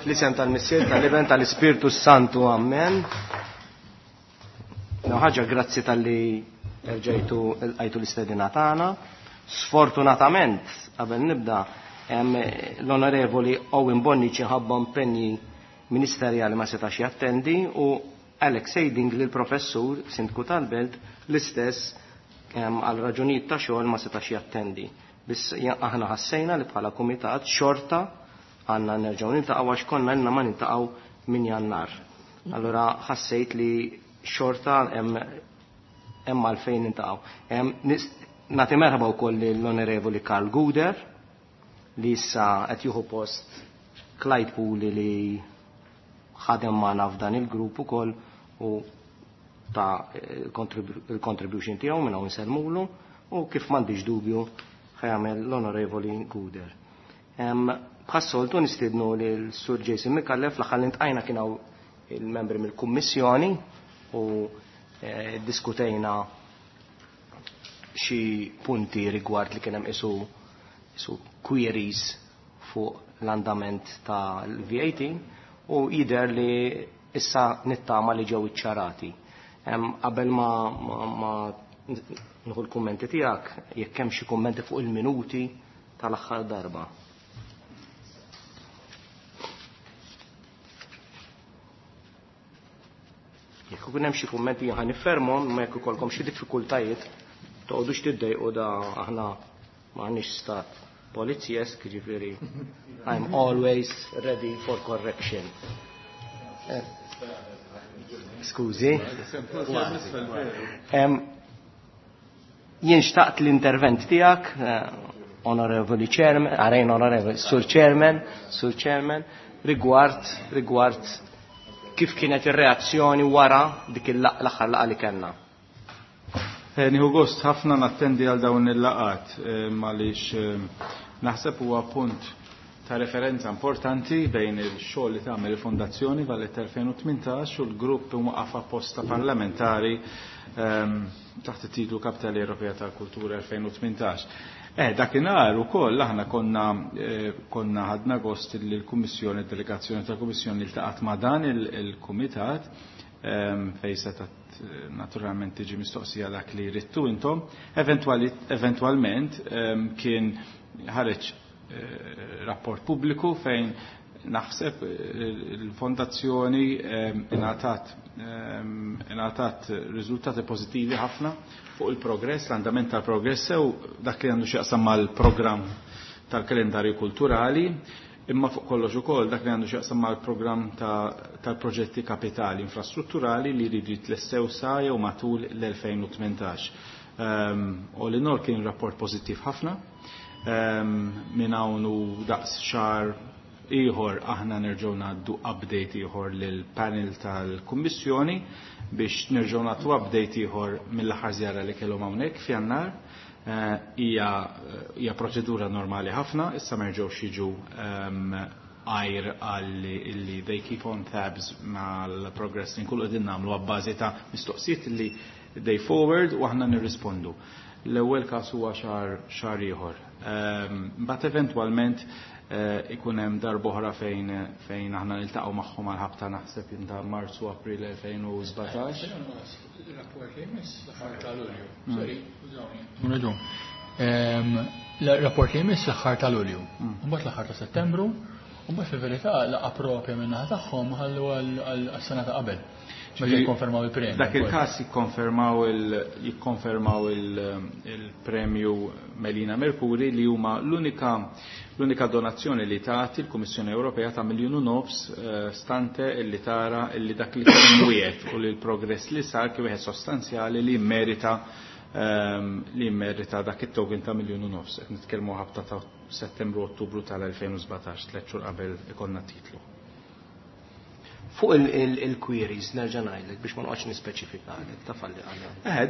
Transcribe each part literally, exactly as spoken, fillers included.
Fl-isem tal-Missier, tal-Iben, tal-Ispirtu Santu, amen. Ħaġa, grazzi tal-li rġajtu għajtu l-istedina tagħna. Sfortunatament, qabel nibda, l-Onorevoli Owen Bonnici ħabba impenji ministerjali ma setax jattendi u Alex Seiding li l-professur sindku tal-belt l-istess għal raġunijiet ta' xogħol ma setax jattendi. Biss aħna ħassejna li bħala kumitat xorta għandna nerġgħu niltaqgħu għax konna ilna ma niltaqgħu minn Jannar. Allura ħassejt li xorta hemm hemm għalfejn niltaqgħu. Nagħti merħba wkoll lill-Onorevoli Karl Guder li issa qed jieħu post Clyde Puli li ħadem magħna f'dan il-grupp ukoll u ta' il-contribution tiegħu minn hawn insellmulu u kif m'għandix dubju ħajamel l-Onorevoli Guder. Bħas-soltu nistiednu lil Sur Jason Micallef. L-aħħar li ntqajna kien hawn il-membri mill-Kummissjoni u diskutejna xi punti rigward li kien hemm isu isu queries fuq l-andament tal-V A T u jidher li issa nittama li ġew iċċarati. Qabel ma, ma, ma nieħu l-kummenti tiegħek, jekk hemm xi kummenti fuq il-minuti tal-aħħar darba. Jekk ikun hemm xi kummenti ħa niffermhom, ma jekk ikollkom xi diffikultajiet toqgħodux tiddejqu, da aħna m'għandniex stat polizjesk, ġifieri I'm always ready for correction. Eh, skużi. Jien xtaqt l-intervent tiegħek, eh, Onorevoli Chairman, għarajn Onorevoli, Sur Chairman, Sur Chairman, rigward, rigward kif kienet ir-reazzjoni wara dik l-aħħar laqgħa li kellna. Eh, nieħu gost ħafna nattendi għal dawn il-laqgħat għaliex naħseb huwa punt ta' referenza importanti bejn il-xogħol li tagħmel il-Fondazzjoni Valletta elfejn u tmintax u l-grupp imwaqqaf apposta parlamentari ehm, taħt it-titlu Kapitali Ewropea tal-Kultura elfejn u tmintax. Eh, dakinhar ukoll aħna konna eh, konna ħadna gost li l-Kummissjoni, delegazzjoni tal-Kummissjoni ltaqgħet ma' dan il-Kumitat ehm, fejn setat eh, naturalment tiġi mistoqsija dak li ridtu intom. Eventualment ehm, kien ħareġ Eh, rapport pubbliku fejn naħseb eh, il-fondazzjoni ehm, ingħatat ehm, ingħatat riżultati pożittivi ħafna fuq il-progress, l-andament tal-progress sew dak li għandu x'jaqsam mal-programm tal-kalendarju kulturali, imma fuq kollox ukoll dak li għandu x'jaqsam mal-programm tal-proġetti kapitali infrastrutturali li jridu jitlessew sa jew matul l-elfejn u tmintax. Um, all in all kien rapport pożittiv ħafna. Minn hawn u daqs xahar ieħor aħna nerġgħu ngħaddu update ieħor lil panel tal-Kummissjoni biex nerġgħu nagħtu update ieħor mill-aħħar żjara li kellhom hawnhekk f'Jannar. Eh, hija hija proċedura normali ħafna, issa ma jerġgħux jiġu għajr għal illi they keep on tabs mal-progress li nkunu qegħdin nagħmlu abbażi ta' mistoqsijiet li they forward u aħna nirrispondu. L-ewwel każ huwa xahar xahar ieħor. Mbagħad eventwalment eh, ikun hemm darb'oħra fejn fejn aħna niltaqgħu magħhom għal ħabta naħseb ta' Marzu, April elfejn u sbatax. Rapport li jmiss l-aħħar ta' Lulju. Sorry, raġun. Rapport li jmiss l-aħħar ta' Lulju. Mbagħad l-aħħar ta' Settembru, u mbagħad fil-verità laqgħa propja min-naħa tagħhom ħallu għas-sena ta' qabel. Meta jikkonfermaw il-premju. Dak il-każ jikkonfermaw il jikkonfermaw il-premju Melina Mercuri li huma l-unika l-unika donazzjoni li tagħti l-Kummissjoni Ewropea ta' miljun u nofs eh, stante illi tara illi dak li kien wiegħed u li l-progress li sar kien wieħed sostanzjali li merita ehm, li merita dak it-token ta' miljun u nofs. Qed nitkellmu ħabta ta' Settembru, Ottubru tal-elfejn u sbatax, tliet xhur qabel ikollna titlu. Fuq il-queries, nerġa' ngħidlek biex ma noqgħodx nispeċifikalek, taf għalli għalli. Eh,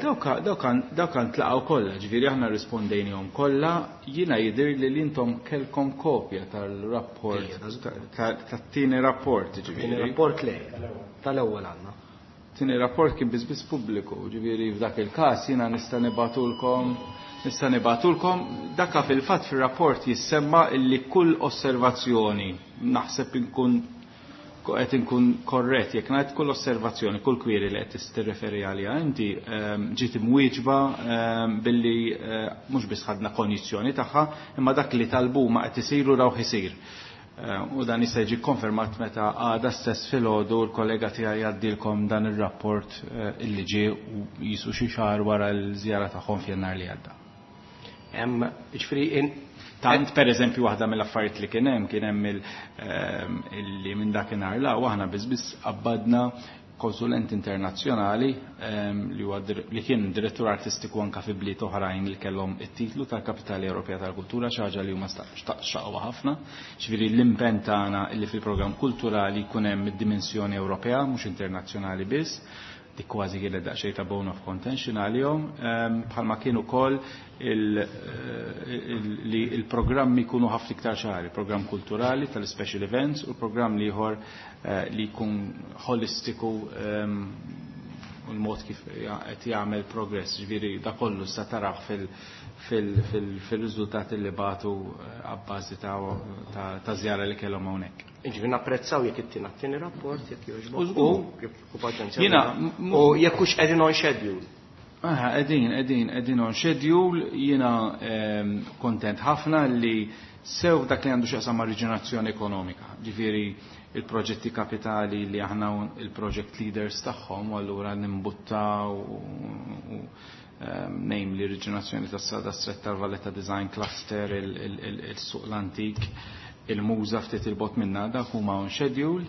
dawk ntlaqgħu kollha, ġifieri aħna rispondejnihom kollha, jiena jidher li intom kellkom kopja tal-rapport, tat-tieni rapport, ġifieri. Tieni rapport le, tal-ewwel għandna. Tieni rapport kien biss biss pubbliku, ġifieri f'dak il-każ jiena nista' nibgħatulkom nista' nibgħatulkom dakka fil-fatt fir-rapport jissemma illi kull osservazzjoni naħseb inkun qed inkun korrett jekk ngħid kull osservazzjoni, kull query li qed tirreferi għaliha inti ehm, ġiet imwieġba ehm, billi eh, mhux biss ħadna konjizzjoni tagħha, imma dak li talbu ma qed isiru rawh isir. Eh, u dan jista' jiġi konfermat meta għada stess filgħodu l-kollega tiegħi jgħaddilkom dan ir-rapport eh, illi ġie u jisu xi xahar wara l-żjara tagħhom f'Jannar li għadda. Hemm ġifieri Tant per eżempju waħda mill-affarijiet li kien hemm kien hemm ehm, illi minn dakinhar la aħna biss biss qabbadna konsulent internazzjonali ehm, li huwa li kien direttur artistiku anka fi bliet oħrajn li kellhom it-titlu tal-Kapitali Ewropea tal-Kultura xi ħaġa li huma xtaqwa ħafna. Ġifieri l-impenn tagħna li fil-programm kulturali jkun hemm id-dimensjoni Ewropea mhux internazzjonali biss dik kważi kienet daqsxejn ta' bone of contention għalihom, ehm, bħalma kien ukoll eh, li il-programmi jkunu ħafna iktar ċari, il-programm kulturali tal-special events u l-programm ieħor eh, li jkun holistiku ehm, u l-mod kif qed jagħmel progress, ġifieri da kollu sa taraħ fil-riżultati li bagħtu eh, abbażi ta' żjara li kellhom hawnhekk. Ġifieri napprezzaw jekk ittina t-tieni rapport jekk jogħġbok. U paċenzja. U jekk hux qegħdin on schedule. Aha, qegħdin, qegħdin, qegħdin on schedule, jiena ehm, kontent ħafna li sew dak li għandu x'jaqsam ma' riġenerazzjoni ekonomika. Ġifieri il-proġetti kapitali li aħna il-project leaders tagħhom u allura nimbuttaw u namely riġenerazzjoni tas-Strada Stretta tal-Valletta Design Cluster, il-suq l-antik, il-MUŻA ftit il-bogħod minna dak huma on schedule,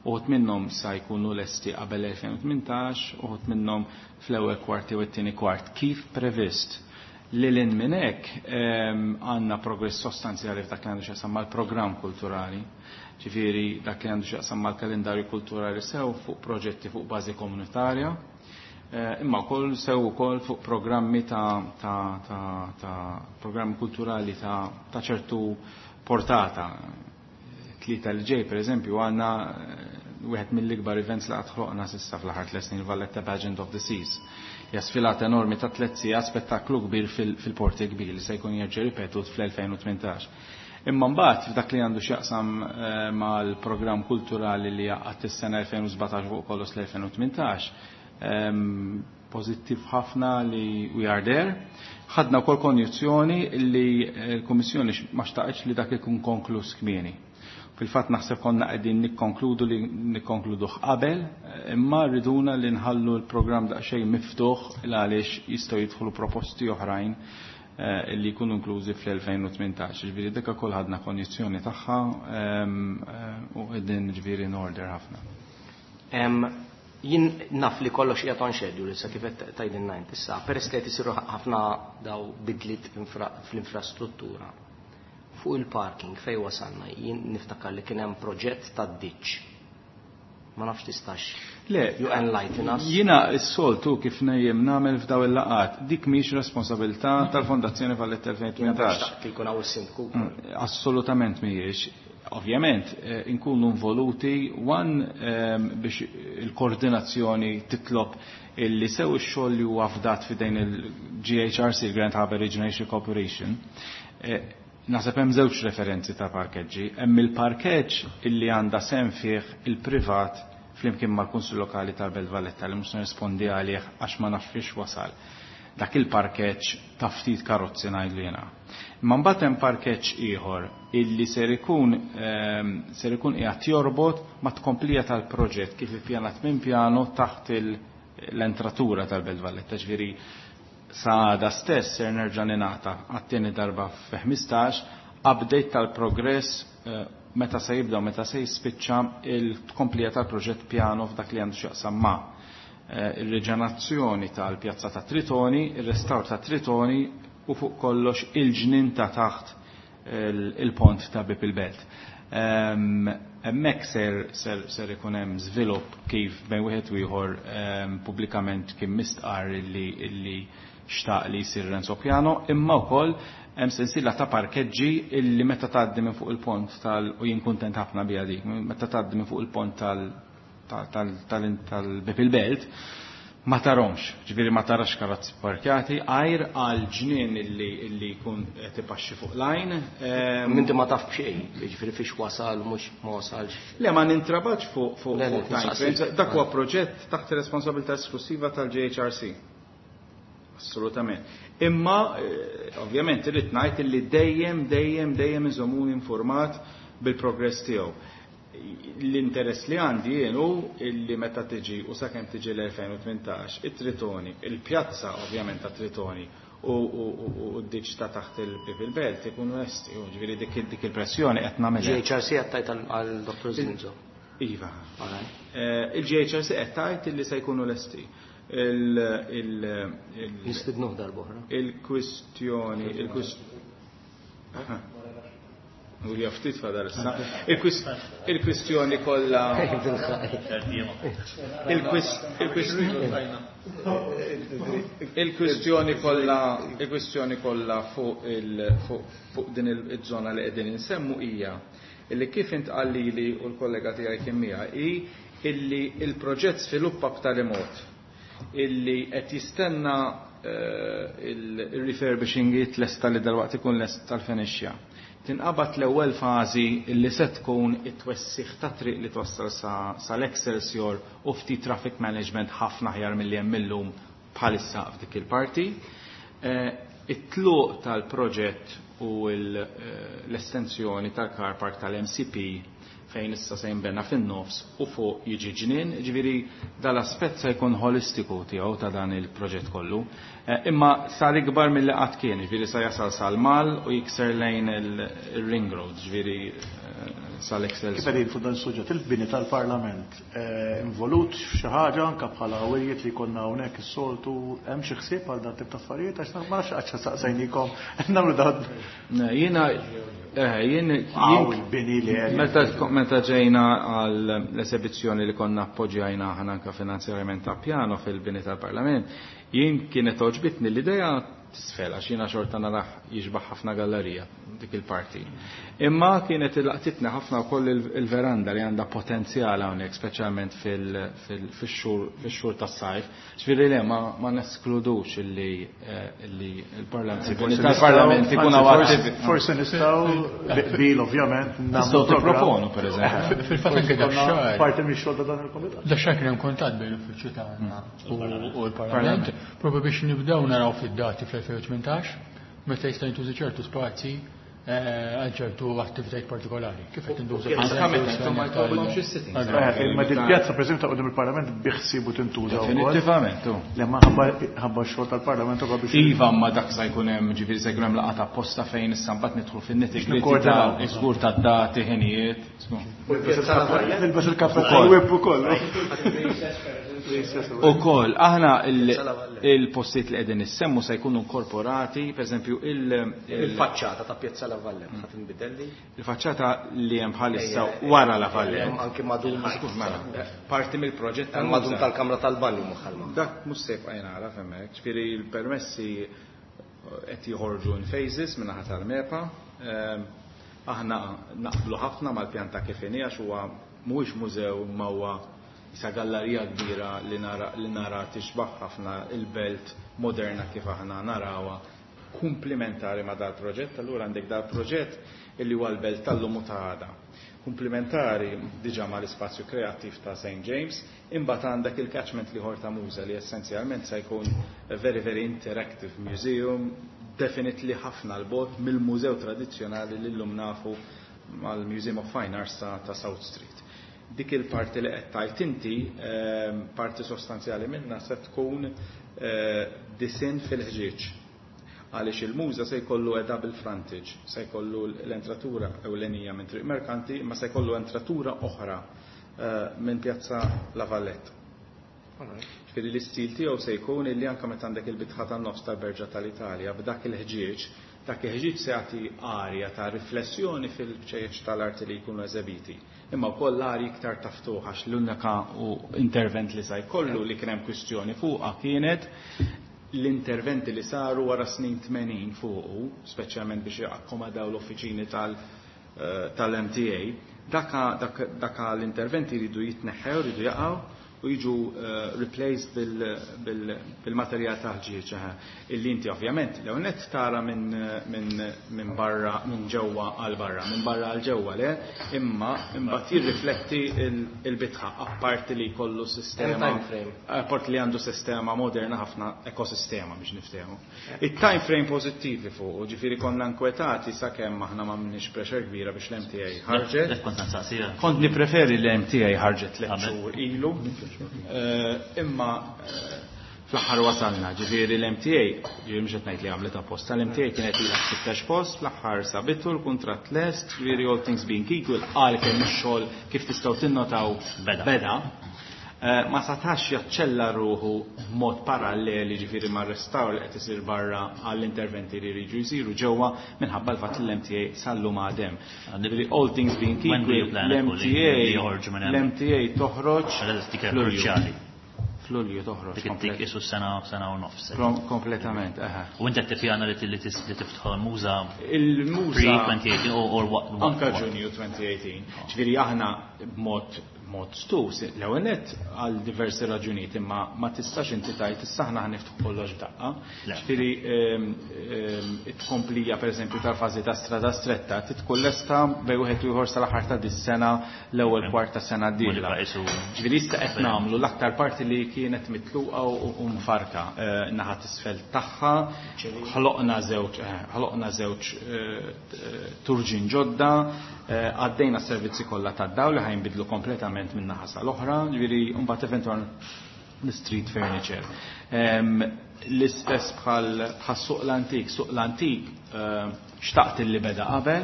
uħud minnhom sa jkunu lesti qabel elfejn u tmintax, uħud minnhom fl-ewwel kwart jew it-tieni kwart kif previst. Lil hinn minn hekk għandna progress sostanzjali f'dak li għandu x'jaqsam mal-programm kulturali. Ġifieri dak li għandu x'jaqsam mal-kalendarju kulturali sew fuq proġetti fuq bażi komunitarja, imma wkoll sew ukoll fuq programmi ta', ta, ta, ta programmi kulturali ta', ta' ċertu portata. Tlieta li ġej, per eżempju, għandna wieħed mill-ikbar events li qatt ħloqna s'issa fl-aħħar tliet snin, Valletta Pageant of the Seas. Hija sfilata enormi ta' tliet sigħat, spettaklu kbir fil-porti kbir li se jkun jerġa' ripetut fl-elfejn u tmintax. Imma mbagħad f'dak li għandu x'jaqsam mal-programm kulturali li jaqgħad is-sena elfejn u sbatax fuq kollox l-elfejn u tmintax, pożittiv ħafna li we are there. Ħadna wkoll konjizzjoni li l-Kummissjoni ma xtaqitx li dak ikun konkluż kmieni. Fil-fatt naħseb konna qegħdin nikkonkludu li nikkonkluduh qabel, imma rriduna li nħallu l-programm daqsxejn miftuħ għaliex jistgħu jidħlu proposti oħrajn li jkunu inklużi fl-elfejn u tmintax. Ġifieri dik ukoll ħadna konjizzjoni tagħha u qegħdin ġifieri in order ħafna. Jien naf li kollox qiegħed on schedule issa kif qed tgħidilna int issa, peress li qed isiru ħafna daw bidliet fl-infrastruttura. Fuq il-parking fej wasalna, jien niftakar li kien hemm proġett tad-ditch. Ma nafx tistax. Le, you enlighten us. Jiena s-soltu kif nejjem nagħmel f'daw il-laqat, dik mhix responsabilità tal-Fondazzjoni Valletta elfejn u tmintax. Xtaqt li jkun hawn is-sindku. Mm, assolutament mhijiex. Ovvjament, eh, inkunu involuti, one, ehm, biex il-koordinazzjoni titlob illi sew ix-xogħol li huwa fdat f'idejn il-G H R C, Grand Harbour Regeneration Corporation, eh, naħseb hemm żewġ referenzi ta' parkeġġi. Hemm il-parkeġġ illi għandha sehem fih il-privat flimkien mal-Kunsill Lokali tal-Belt Valletta li mhux nirrispondi għalih għax ma nafx wasal. Dak il-parkeġġ ta' ftit karozzi ngħidlu jiena. Imma mbagħad hemm parkeġġ ieħor illi ser ikun, ehm, ser ikun qiegħed jorbot ma' tkomplija tal-proġett kif ippjanat minn pjano taħt il-, l-entratura tal-Belt Valletta, ġifieri sa għada stess ser nerġa' ningħata għat-tieni darba fi ħmistax update tal-progress, eh, meta se jibda u meta se jispiċċa il-tkomplija tal-proġett pjano f'dak li għandu x'jaqsam ma', eh, ir-riġenerazzjoni tal-pjazza ta' Tritoni, ir-restawr ta' Tritoni u fuq kollox il-ġnien ta' taħt il-pont ta' Bib il-Belt. Ehm, hemmhekk ser, ser, ser ikun hemm żvilupp kif bejn wieħed u ieħor, ehm, pubblikament kien mistqar illi, illi xtaq li jsir Renzo Piano, imma wkoll hemm sensiela ta' parkeġġi illi meta tgħaddi minn fuq il-pont tal, u jien kuntent ħafna biha dik, meta tgħaddi minn fuq il-pont tal, tal-Bieb il-Belt, ma tarahomx, ġifieri ma tarax karozzi parkjati, għajr għal ġnien illi jkun qed ipaxxi fuq lajn. Minti ma taf b'xejn, ġifieri fiex wasal mhux ma wasalx. Le, ma nintrabax fuq fuq time frames. Dak huwa proġett taħt ir-responsabilità esklusiva tal-J H R C. Assolutament. Imma ovvjament irrid ngħid illi dejjem dejjem dejjem iżomuni informat bil-progress tiegħu. L-interess li għandi jien hu illi meta tiġi u sakemm tiġi l-elfejn u tmintax, it-Tritoni, il-pjazza ovvjament ta' Tritoni u d-ditch ta' taħt il-Bieb il-Belt ikunu lesti, u ġifieri dik il-pressjoni qed nagħmilha. J H R C qed tgħid għal Doctor Zinzo. Iva. Il-J H R C qed tgħid illi se jkunu lesti. Nistidnuh darb'oħra. Il-kwistjoni, il-kwistjoni. U li ftit fadal issa. Il-kwistjoni kollha. Il-kwistjoni kollha, il-kwistjoni kollha fuq fuq din iż-żona li qegħdin insemmu hija illi kif intqal lili u l-kollega tiegħi kien miegħi hi illi il-proġett sviluppa b'tali mod illi qed jistenna il-refurbishing jitlesta, li dalwaqt ikun lest tal-finixja. Tinqabad l-ewwel fażi li se tkun it-twessiħ ta' triq li twassal sal-Excelsior u ftit traffic management ħafna aħjar milli hemm illum bħalissa f'dik il-parti. It-tluq tal-proġett u l-estensjoni tal-car park tal-M C P fejn issa se jinbena fin-nofs u fuq jiġi ġnien, ġifieri dal-aspett se jkun holistiku tiegħu ta' dan il-proġett kollu. Imma sar ikbar milli qatt kien, ġifieri sa jasal sal-Mall u jikser lejn il-Ring Road, ġifieri sal-Excel. Kif qegħdin fuq dan suġġett, il-bini tal-Parlament involut f'xi ħaġa anke bħala wirjiet li konna hawnhekk is-soltu, hemm xi ħsieb għal dan tip ta' affarijiet? Għax ma nafx qatt saqsejnikom nagħmlu dan. Jiena jien il-bini li meta meta ġejna għal l-esebizzjoni li konna appoġġjajna aħna anke finanzjarjament ta' piano fil-bini tal-Parlament, jien kienet għoġbitni l-idea tisfel, għax jiena xorta narah jixbaħ ħafna gallerija dik il-parti. Imma kienet laqtitni ħafna wkoll il-veranda li għandha potenzjal hawnhekk, speċjalment fix-xhur tas-sajf. Ġifieri le, ma neskludux illi il-Parlament tal-Parlament ikun attivi. Forsi nistgħu bil ovvjament nistgħu tipproponu, pereżempju. Fil-fatt anke dax-xahar. Parti mix-xogħol ta' dan il-komitat. Dax-xahar kien hemm kuntatt bejn l-uffiċċju tagħna u l-Parlament propju biex nibdew naraw fid-dati fl-elfejn u tmintax meta jista' jintuża ċertu spazji għal ċertu attivitajiet partikolari. Kif qed tintuża? Ma dil-pjazza, per esempio, ta' quddiem il-Parlament biħsibu tintuża wkoll? Definitivament. Le, ma ħabba x-xogħol tal-Parlament ukoll biex. Iva, ma dak sa jkun hemm, ġifieri se jkun hemm laqgħa apposta fejn issa mbagħad nidħlu fin-nitty ta' żgur tad-dati, ħinijiet. Nilbes il-kappa tal-whip ukoll. Ukoll, aħna il-postijiet li qegħdin issemmu se jkunu inkorporati, per eżempju, il-faċċata ta' Pjazza La Valletta ħa tinbidel? Il-faċċata li hemm bħalissa wara La Valletta. Anki madum. Parti mill-proġett tal-madum tal-kamra tal-banju maħalma. Dak mhux se jibqa' jingħaraf hemmhekk, ġifieri l-permessi qed joħorġu in phases min-naħa tal-MEPA. Aħna naqblu ħafna mal-pjanta kif inhi, għax huwa mhuwiex mużew ma huwa isa gallerija kbira li nara li nara tixbaħ ħafna il-belt moderna kif aħna narawha, komplementari ma dal-proġett. Allura għandek dal-proġett illi huwa l-belt tal-lum u ta' għada. Komplementari diġà ma l-ispazju kreattiv ta' Saint James, imbagħad għandek il-catchment l-ieħor ta' MUŻA li essenzjalment se jkun a very, very interactive museum, definitely ħafna 'l bogħod mill-mużew tradizzjonali li llum nafu mal-Museum of Fine Arts ta', ta South Street. Dik il-parti li qed tajt inti, parti sostanzjali minna se tkun disinn fil-ħġieġ. Għaliex il-MUŻA se jkollu a double frontage, se jkollu l-entratura ewlenija minn Triq Merkanti, ma se jkollu entratura oħra minn Pjazza La Valletta. Ġifieri l-istil tiegħu se jkun illi anke meta għandek il-bitħa tan-nofs tal-Berġa tal-Italja b'dak il-ħġieġ, dak il-ħġieġ se jagħti arja ta' riflessjoni fil-ċejjeċ tal-arti li jkunu eżebiti. Imma wkoll l-arji iktar taftuħ, għax l-unika intervent li sa jkollu li kien hemm kwistjoni fuqha kienet l-interventi li saru wara snin tmenin fuqu, speċjalment biex jakkomodaw l-uffiċini tal-M T A, Daka daka l-interventi jridu jitneħħew, jridu jaqgħu u jiġu replaced bil-materjal tal-ħġieġ illi inti ovvjament l net tara minn barra, minn ġewwa għal barra, minn barra għal ġewwa le, imma imbagħad jirrifletti il-bitħa apparti li jkollu sistema, apparti li għandu sistema moderna ħafna, ekosistema biex niftehmu. Il-time frame pożittivi fuq, ġifieri konna nkwetati sakemm aħna ma minniex pressure kbira biex l-M T A ħarġet. Kont nippreferi l-M T A ħarġet tliet xhur ilu. Imma fl-aħħar wasalna, ġifieri l-M T A, ġifieri mhux qed ngħid li għamlet apposta, l-M T A kienet ilha f'sittax post, fl-aħħar sabitu l-kuntratt lest, ġifieri all things being equal, qal kemm ix-xogħol kif tistgħu tinnotaw beda. Ma setax jaċċella ruħu b'mod paralleli ġifieri mar-restawr li qed isir barra għall-interventi li jridu jsiru ġewwa minħabba l-fatt li l-M T A sallum għadem. Ġifieri all things being equal, l-M T A l-M T A toħroġ f'Lulju. F'Lulju toħroġ. Dik dik isu sena sena u nofs. Kompletament, eħe. U inti qed tippjana li tiftħu l-muża il-muża pre twenty eighteen or what? Anka Ġunju twenty eighteen. Ġifieri aħna b'mod mod stus, l-ewwel nett għal diversi raġunijiet, imma ma tistax inti tgħid issa aħna ħaniftħu kollox f'daqqa. Ġifieri it-tkomplija pereżempju tal-fażi ta' strada stretta titkun lesta bejn wieħed u ieħor sal-aħħar ta' dis-sena, l-ewwel kwart ta' sena d-dieħla. Ġifieri issa qed nagħmlu l-aktar parti li kienet mitluqa u mfarka naħa t'isfel tagħha, ħloqna żewġ ħloqna żewġ turġin ġodda, għaddejna s-servizzi kollha tad-dawl li ħajnbidlu kompletament minn naħa sal-oħra, ġifieri mbagħad eventwalment l-street furniture. L-istess bħal suq l-antik, suq l-antik xtaqt li beda qabel,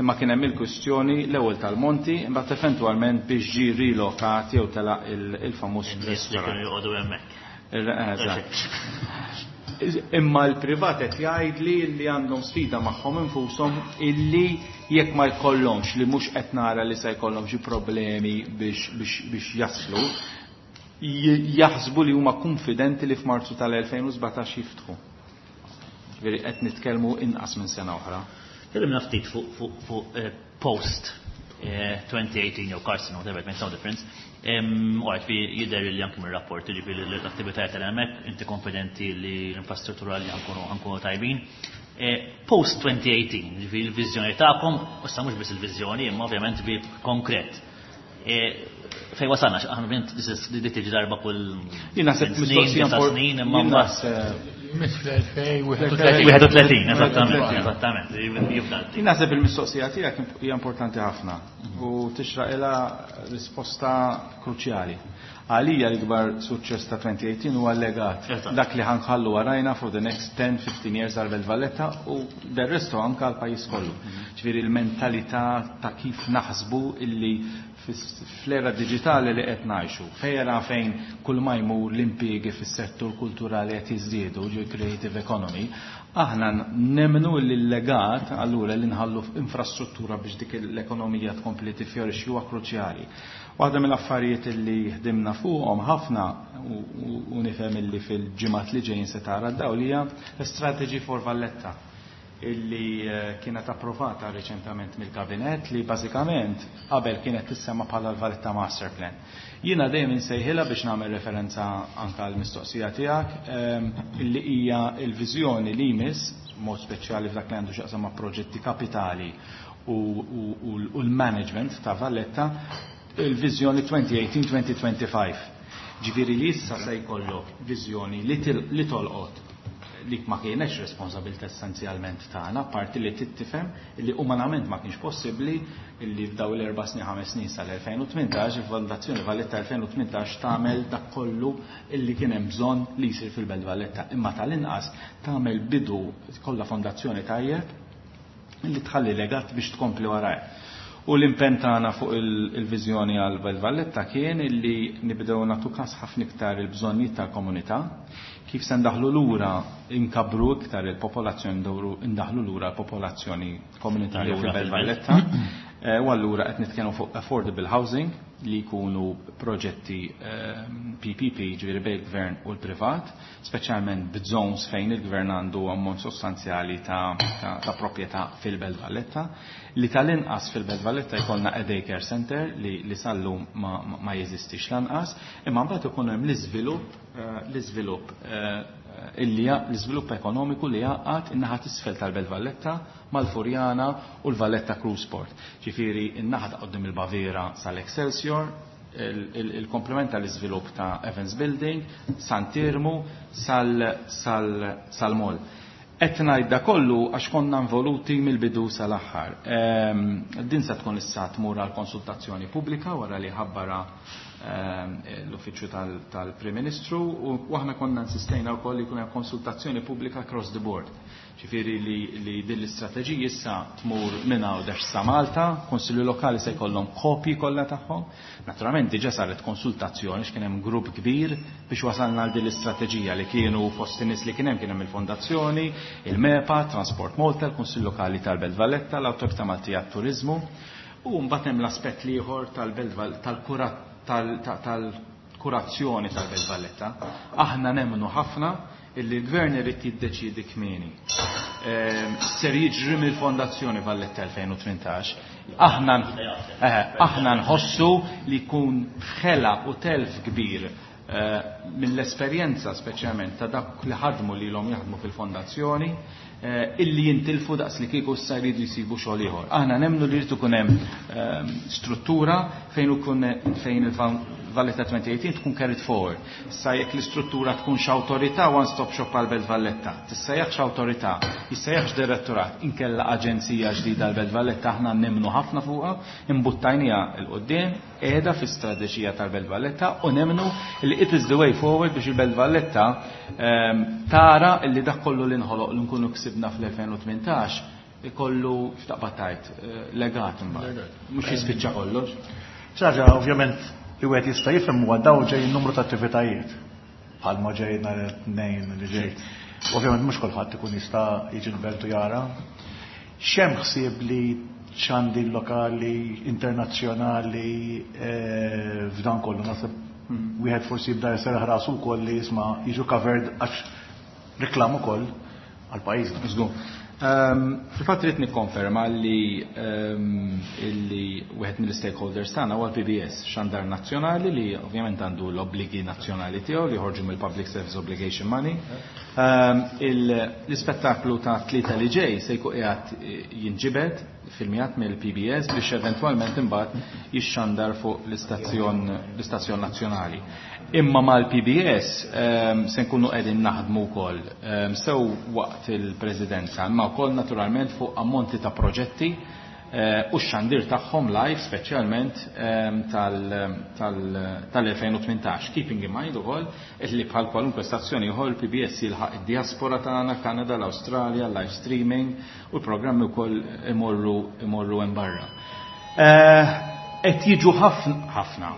imma kien hemm il-kwistjoni l-ewwel tal-Monti, imbagħad eventwalment biex ġie rilokat jew telaq il-famuż restaurant. Joqogħdu hemmhekk. Imma l-privat qed jgħidli li għandhom sfida magħhom infushom illi jekk ma jkollhomx, li mhux qed nara li se jkollhom xi problemi biex biex biex jaslu, jaħsbu li huma konfidenti li f'Marzu tal-elfejn u sbatax jiftħu. Ġifieri qed nitkellmu inqas minn sena oħra. Kellimna ftit fuq fuq fuq post twenty eighteen jew Carson, whatever, it makes no difference. Għart fi jidher li anke mir-rapport, ġifieri l-attivitajiet tal-hemmhekk, inti konfidenti li l-infrastruttura li ħankunu tajbin. Post twenty eighteen, ġifieri l-viżjoni tagħkom, issa mhux biss il-viżjoni, imma ovvjament bi konkret. Fej wasalna, aħna ovvjament di tiġi darba kull snin, snin, imma Miss fl-elfejn wieħed u tletin, eżattament, eżattament. Jien naħseb il-mistoqsija tiegħek hija importanti ħafna u tixraq ilha risposta kruċjali. Għalija l-ikbar suċċess ta' twenty eighteen huwa l-legat. Dak li ħanħallu warajna for the next ten fifteen years għal Belt Valletta u del resto anke għal pajjiż kollu. Ġifieri l-mentalità ta' kif naħsbu illi fl-era digitali li qed ngħixu, fejra fejn kull ma jmur l-impjiegi fis-settur kulturali qed jiżdiedu, ġi creative economy, aħna nemmnu li l-legat allura li nħallu infrastruttura biex dik l-ekonomija tkompli tifjorixxi huwa kruċjali. Waħda mill-affarijiet li ħdimna fuqhom ħafna u nifhem illi fil-ġimgħat li ġejjin se tara d-dawl hija Strategy for Valletta illi kienet approvata reċentament mill-Kabinett li bażikament qabel kienet tissemma bħala l-Valletta Master Plan. Jiena dejjem insejħilha biex nagħmel referenza anke għall-mistoqsija tiegħek illi hija l-viżjoni li jmiss mod speċjali f'dak li għandu x'jaqsam ma' proġetti kapitali u l-management ta' Valletta, il-viżjoni twenty eighteen twenty twenty-five. Ġifieri li issa se jkollok viżjoni li tolqot li ma kienx responsabilità essenzjalment tagħna, parti li tittifhem li umanament ma kienx possibbli li f'daw l-erba' snin ħames snin sal-elfejn u tmintax il-Fondazzjoni Valletta elfejn u tmintax tagħmel dak kollu illi kien hemm bżonn li jsir fil-Belt Valletta, imma tal-inqas tagħmel bidu kollha fondazzjoni tajjeb li tħalli legat biex tkompli warajh. U l-impenn tagħna fuq il-viżjoni għal Belt Valletta kien illi nibdew nagħtu każ ħafna iktar il-bżonnijiet tal-komunità, kif se ndaħlu lura inkabru iktar il-popolazzjoni, ndawru ndaħlu lura l-popolazzjoni komunitarja fil-Belt Valletta. U allura qed nitkellmu fuq affordable housing li jkunu proġetti P P P, ġifieri bejn il-gvern u l-privat, speċjalment b'zones fejn il-gvern għandu ammont sostanzjali ta', ta, ta' proprjetà fil-Belt Valletta, li tal-inqas fil-Belt Valletta jkollna a daycare center li, li sallum ma, ma, ma jeżistix lanqas, imma mbagħad ikun hemm l-iżvilupp, l-iżvilupp illi l-iżvilupp ekonomiku li jaqgħad in-naħa t'isfel tal-Belt Valletta mal-Furjana u l-Valletta Cruise Port. Ġifieri in-naħa ta' qudiem il-Baviera sal-Excelsior, il-komplement tal-iżvilupp ta' Evans Building, Sant'Irmu, sal-Mall. Qed ngħid da kollu għax konna involuti mill-bidu sal-aħħar. Din se tkun issa tmur għal konsultazzjoni pubblika wara li ħabbara l-uffiċċju tal-Prim Ministru, u aħna konna insistejna wkoll li jkun hemm konsultazzjoni pubblika across the board. Ġifieri li, li din l-istrateġija issa tmur minn Għawdex sa Malta, Konsilju Lokali se jkollhom kopji kollha tagħhom. Naturalment diġà saret konsultazzjoni x'kien hemm grupp kbir biex wasalna għal din l-istrateġija li kienu fost in-nies li kien hemm, kien hemm il-Fondazzjoni, il-MEPA, Transport Malta, il-Kunsill Lokali tal-Belt Valletta, l-Awtorità Maltija għat-Turiżmu, u mbagħad hemm l-aspett l-ieħor tal-Belt tal-kurazzjoni tal-Belt Valletta. Aħna nemmnu ħafna illi l-gvern irid jiddeċiedi kmieni. Ser jiġri mill-Fondazzjoni Valletta elfejn u tmintax. Aħna aħna nħossu li jkun ħela u telf kbir mill-esperjenza speċjalment ta' dak li ħadmu li l-hom jaħdmu fil-fondazzjoni, illi jintilfu daqs li kieku issa jridu jsibu xogħol ieħor. Aħna nemmnu li jrid ikun hemm struttura fejn ikun fejn il-Valletta twenty eighteen tkun carried forward. Issa jekk l-istruttura tkun x'awtorità one stop shop għal Belt Valletta, tissejjaħx awtorità, jissejjaħx direttorat, inkella aġenzija ġdida għal Belt Valletta, aħna nemmnu ħafna fuqha, imbuttajniha l quddiem, qiegħda fi-strateġija tal-Belt Valletta u nemmnu li it is the way forward biex il-Belt Valletta tara li dak kollu li nħoloq li nkunu ksibna fl-elfejn u tmintax ikollu x'taqbad tajt legat imbagħad. Mhux jispiċċa kollox. Ċaġa, ovvjament, li wieħed jista' jifhem huwa dawn ġej numru ta' attivitajiet bħalma ġej nhar it-tnejn li ġej. Ovvjament mhux kulħadd ikun jista' jiġi l-belt u jara. X'hemm ħsieb li xandi lokali, internazzjonali f'dan kollu? Naħseb wieħed forsi jibda jserraħ rasu wkoll li jisma' jiġu covered għax reklam ukoll għal pajjiżna. Żgur. Fil-fatt rrid nikkonferma li illi wieħed mill-stakeholders tagħna huwa l-P B S, xandar nazzjonali li ovvjament għandu l-obbligi nazzjonali tiegħu li joħorġu mill-Public Service Obligation Money. L-ispettaklu ta' tlieta li ġej se jkun qiegħed jinġibed filmjat mill-P B S biex eventwalment imbagħad jixxandar fuq l-istazzjon, l-istazzjon nazzjonali. Imma mal-P B S se nkunu qegħdin naħdmu wkoll sew waqt il-Presidenza, imma wkoll naturalment fuq ammonti ta' proġetti u x-xandir tagħhom live speċjalment tal-elfejn u tmintax. Keeping in mind ukoll li bħal kwalunkwe stazzjoni ieħor il-P B S jilħaq id-diaspora tagħna, Kanada, l-Awstralja, live streaming u l-programmi wkoll imorru, imorru hemm barra. Qed jiġu ħafna,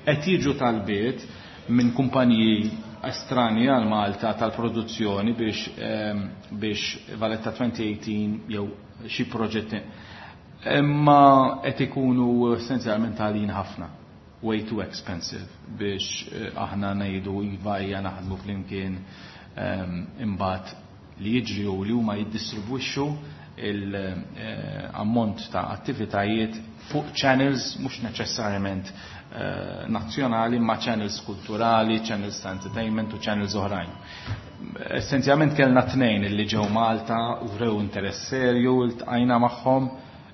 qed jiġu talbiet minn kumpaniji estrani għal Malta tal-produzzjoni biex, biex Valletta twenty eighteen jew xi proġetti. Imma qed ikunu essenzjalment għalin ħafna, way too expensive biex aħna ngħidu iva hija naħdmu flimkien, imbagħad li jiġri u li huma jiddistribwixxu il-ammont ta' attivitajiet fuq channels mhux neċessarjament nazzjonali, ma channels kulturali, channels ta' entertainment u channels oħrajn. Essenzjalment kellna tnejn illi ġew Malta u wrew interess serju, iltqajna magħhom,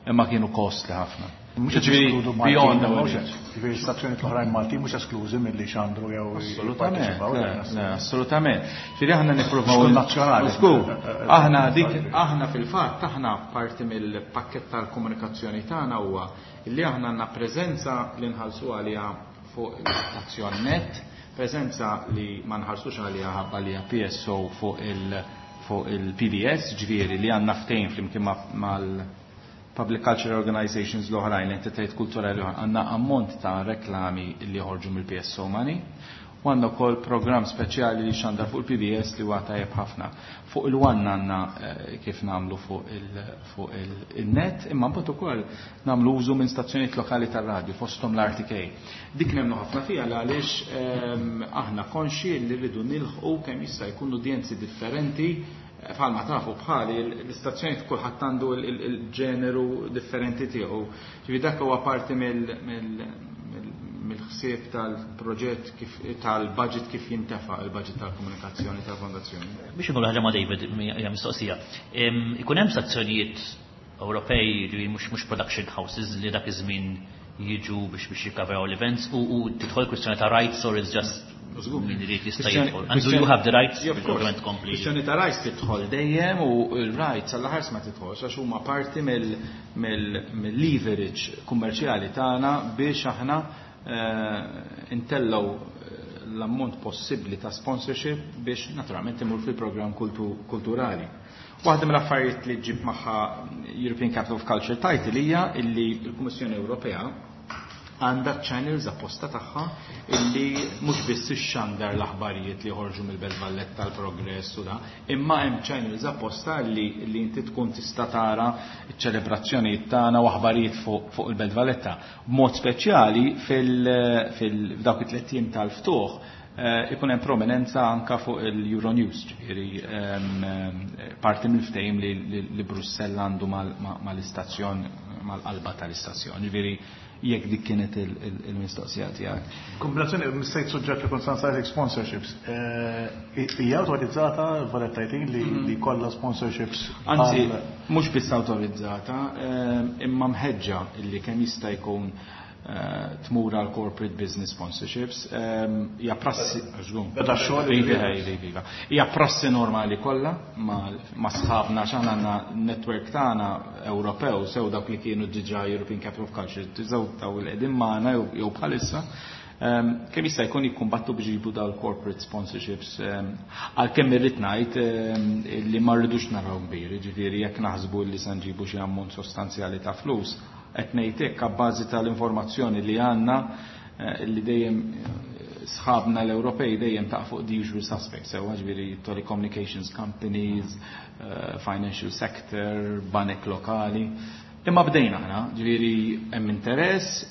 imma kienu kostli ħafna. Mhux Ġifieri, eskludu Maltin, beyond our mhux reach. Ġifieri stazzjoni l-oħrajn Maltin mhux esklużi milli xandru jew Assolutament, jipparteċipaw, le, le, le, assolutament. Ġifieri aħna nippruvaw Xkun nazzjonali. Żgur. Eh, eh, Aħna eh, dik, eh, aħna fil-fatt, aħna parti mill-pakkett tal-komunikazzjoni tagħna huwa li aħna għandna preżenza li nħallsu għaliha fuq l-istazzjon net, preżenza li ma nħallsux għaliha ħabba li hija P S O fuq il-, fuq il-P B S, ġifieri li għandna ftehim flimkien ma-, mal Public Culture Organizations l-oħrajn, l-entitajiet kulturali l-oħrajn, għandna ammont ta' reklami li joħorġu mill-P S O money, U għandna wkoll programm speċjali li xandar fuq il-P B S li huwa tajjeb ħafna. Fuq il-One għandna eh, kif nagħmlu fuq il-net, imma mbagħad ukoll nagħmlu użu minn stazzjonijiet lokali tar-radju, fosthom l-R T K. Dik nemmnu ħafna fiha għaliex ehm, aħna konxi li rridu nilħqu kemm jista' jkun udjenzi differenti. Bħalma tafu bħali l-istazzjoni, kulħadd għandu il-ġeneru differenti tiegħu. Ġifieri dak huwa parti mill-ħsieb tal-proġett kif tal-budget, kif jintefa il-budget tal-komunikazzjoni tal-fondazzjoni. Biex nqol ħaġa ma' David, hija mistoqsija. Ikun hemm stazzjonijiet Ewropej li mhux mhux production houses li dak iż-żmien jiġu biex biex jikkavraw l-events u u tidħol kwistjoni ta' rights or is just min irid jista' jidħol? And do you have the rights? Ovvjament kompli. Kwistjoni ta' rights tidħol dejjem u l-rights għall-ħars ma tidħolx għax huma parti mill-leverage kummerċjali tagħna biex aħna eh, intellaw l-ammont possibbli ta' sponsorship biex naturalment imur fil-programm kulturali. Waħda mill-affarijiet li ġib magħha European Capital of Culture title hija illi l-Kummissjoni Ewropea għandha channels apposta tagħha illi mhux biss ixxandar l-aħbarijiet li joħorġu mill-Belt Valletta, tal-progress u da, imma hemm channels apposta li, li inti tkun tista' tara ċ-ċelebrazzjonijiet tagħna u aħbarijiet fuq fu il-Belt Valletta. B'mod speċjali fil-dawk it-tliet ijiem tal-ftuħ eh, ikun hemm prominenza anka fuq il-Euronews, ġifieri parti mill-ftehim li, li, li Brussell għandu mal-istazzjon, mal-qalba tal-istazzjon. Ġifieri jekk dik kienet il-mistoqsija tiegħek. Kombinazzjoni missejt suġġett li kont sansajtek, sponsorships. Eh, hija awtorizzata Valletta eighteen li mhm. li kollha sponsorships? Anzi, mhux biss awtorizzata, eh, imma mħeġġa illi kemm jista' jkun eh, tmur għal corporate business sponsorships. Hija prassi, Beda xogħol. Iva, iva, hija prassi normali kollha ma' sħabna, x'aħna għandna network tagħna Ewropew, sew dawk li kienu diġà European Capital of Culture, sew daw li qegħdin magħna jew bħalissa. Kemm jista' jkun jikkumbattu biex jġibu daw corporate sponsorships, għalkemm irrid ngħid li ma rridux naraw kbir, ġifieri jekk naħsbu li se nġibu xi ammont sostanzjali ta' flus, qed ngħid hekk abbażi tal-informazzjoni li għandna eh, li dejjem eh, sħabna l-Ewropej dejjem ta' fuq the usual suspects, sewa ġifieri telecommunications companies, uh, financial sector, banek lokali. Imma bdejna aħna, ġifieri hemm interess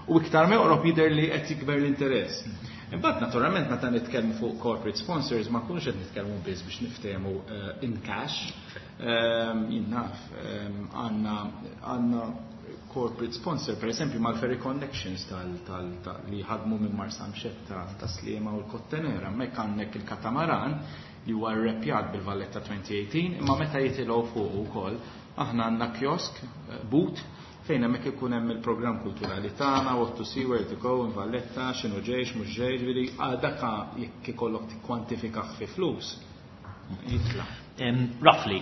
u iktar ma joqrob jidher li qed jikber l-interess. Imbagħad naturalment meta nitkellmu fuq corporate sponsors ma nkunux qed nitkellmu biss biex niftehmu in cash. Jien naf għandna għandna corporate sponsor, per esempio, mal-Ferry Connections tal, tal, tal, li ħadmu minn Marsamxett ta', ta Sliema u l-Kottonera. Hemmhekk għandek il-katamaran li huwa rrepjat bil-Valletta elfejn u tmintax, imma meta jitilgħu fuq ukoll aħna għandna kiosk, eh, booth, fejn hemmhekk ikun hemm il-programm kulturali tagħna, what to see, where to go in Valletta, x'inhu ġejx, mhux ġej, ġifieri dak jekk ikollok tikkwantifikah fi flus jitla'. Roughly,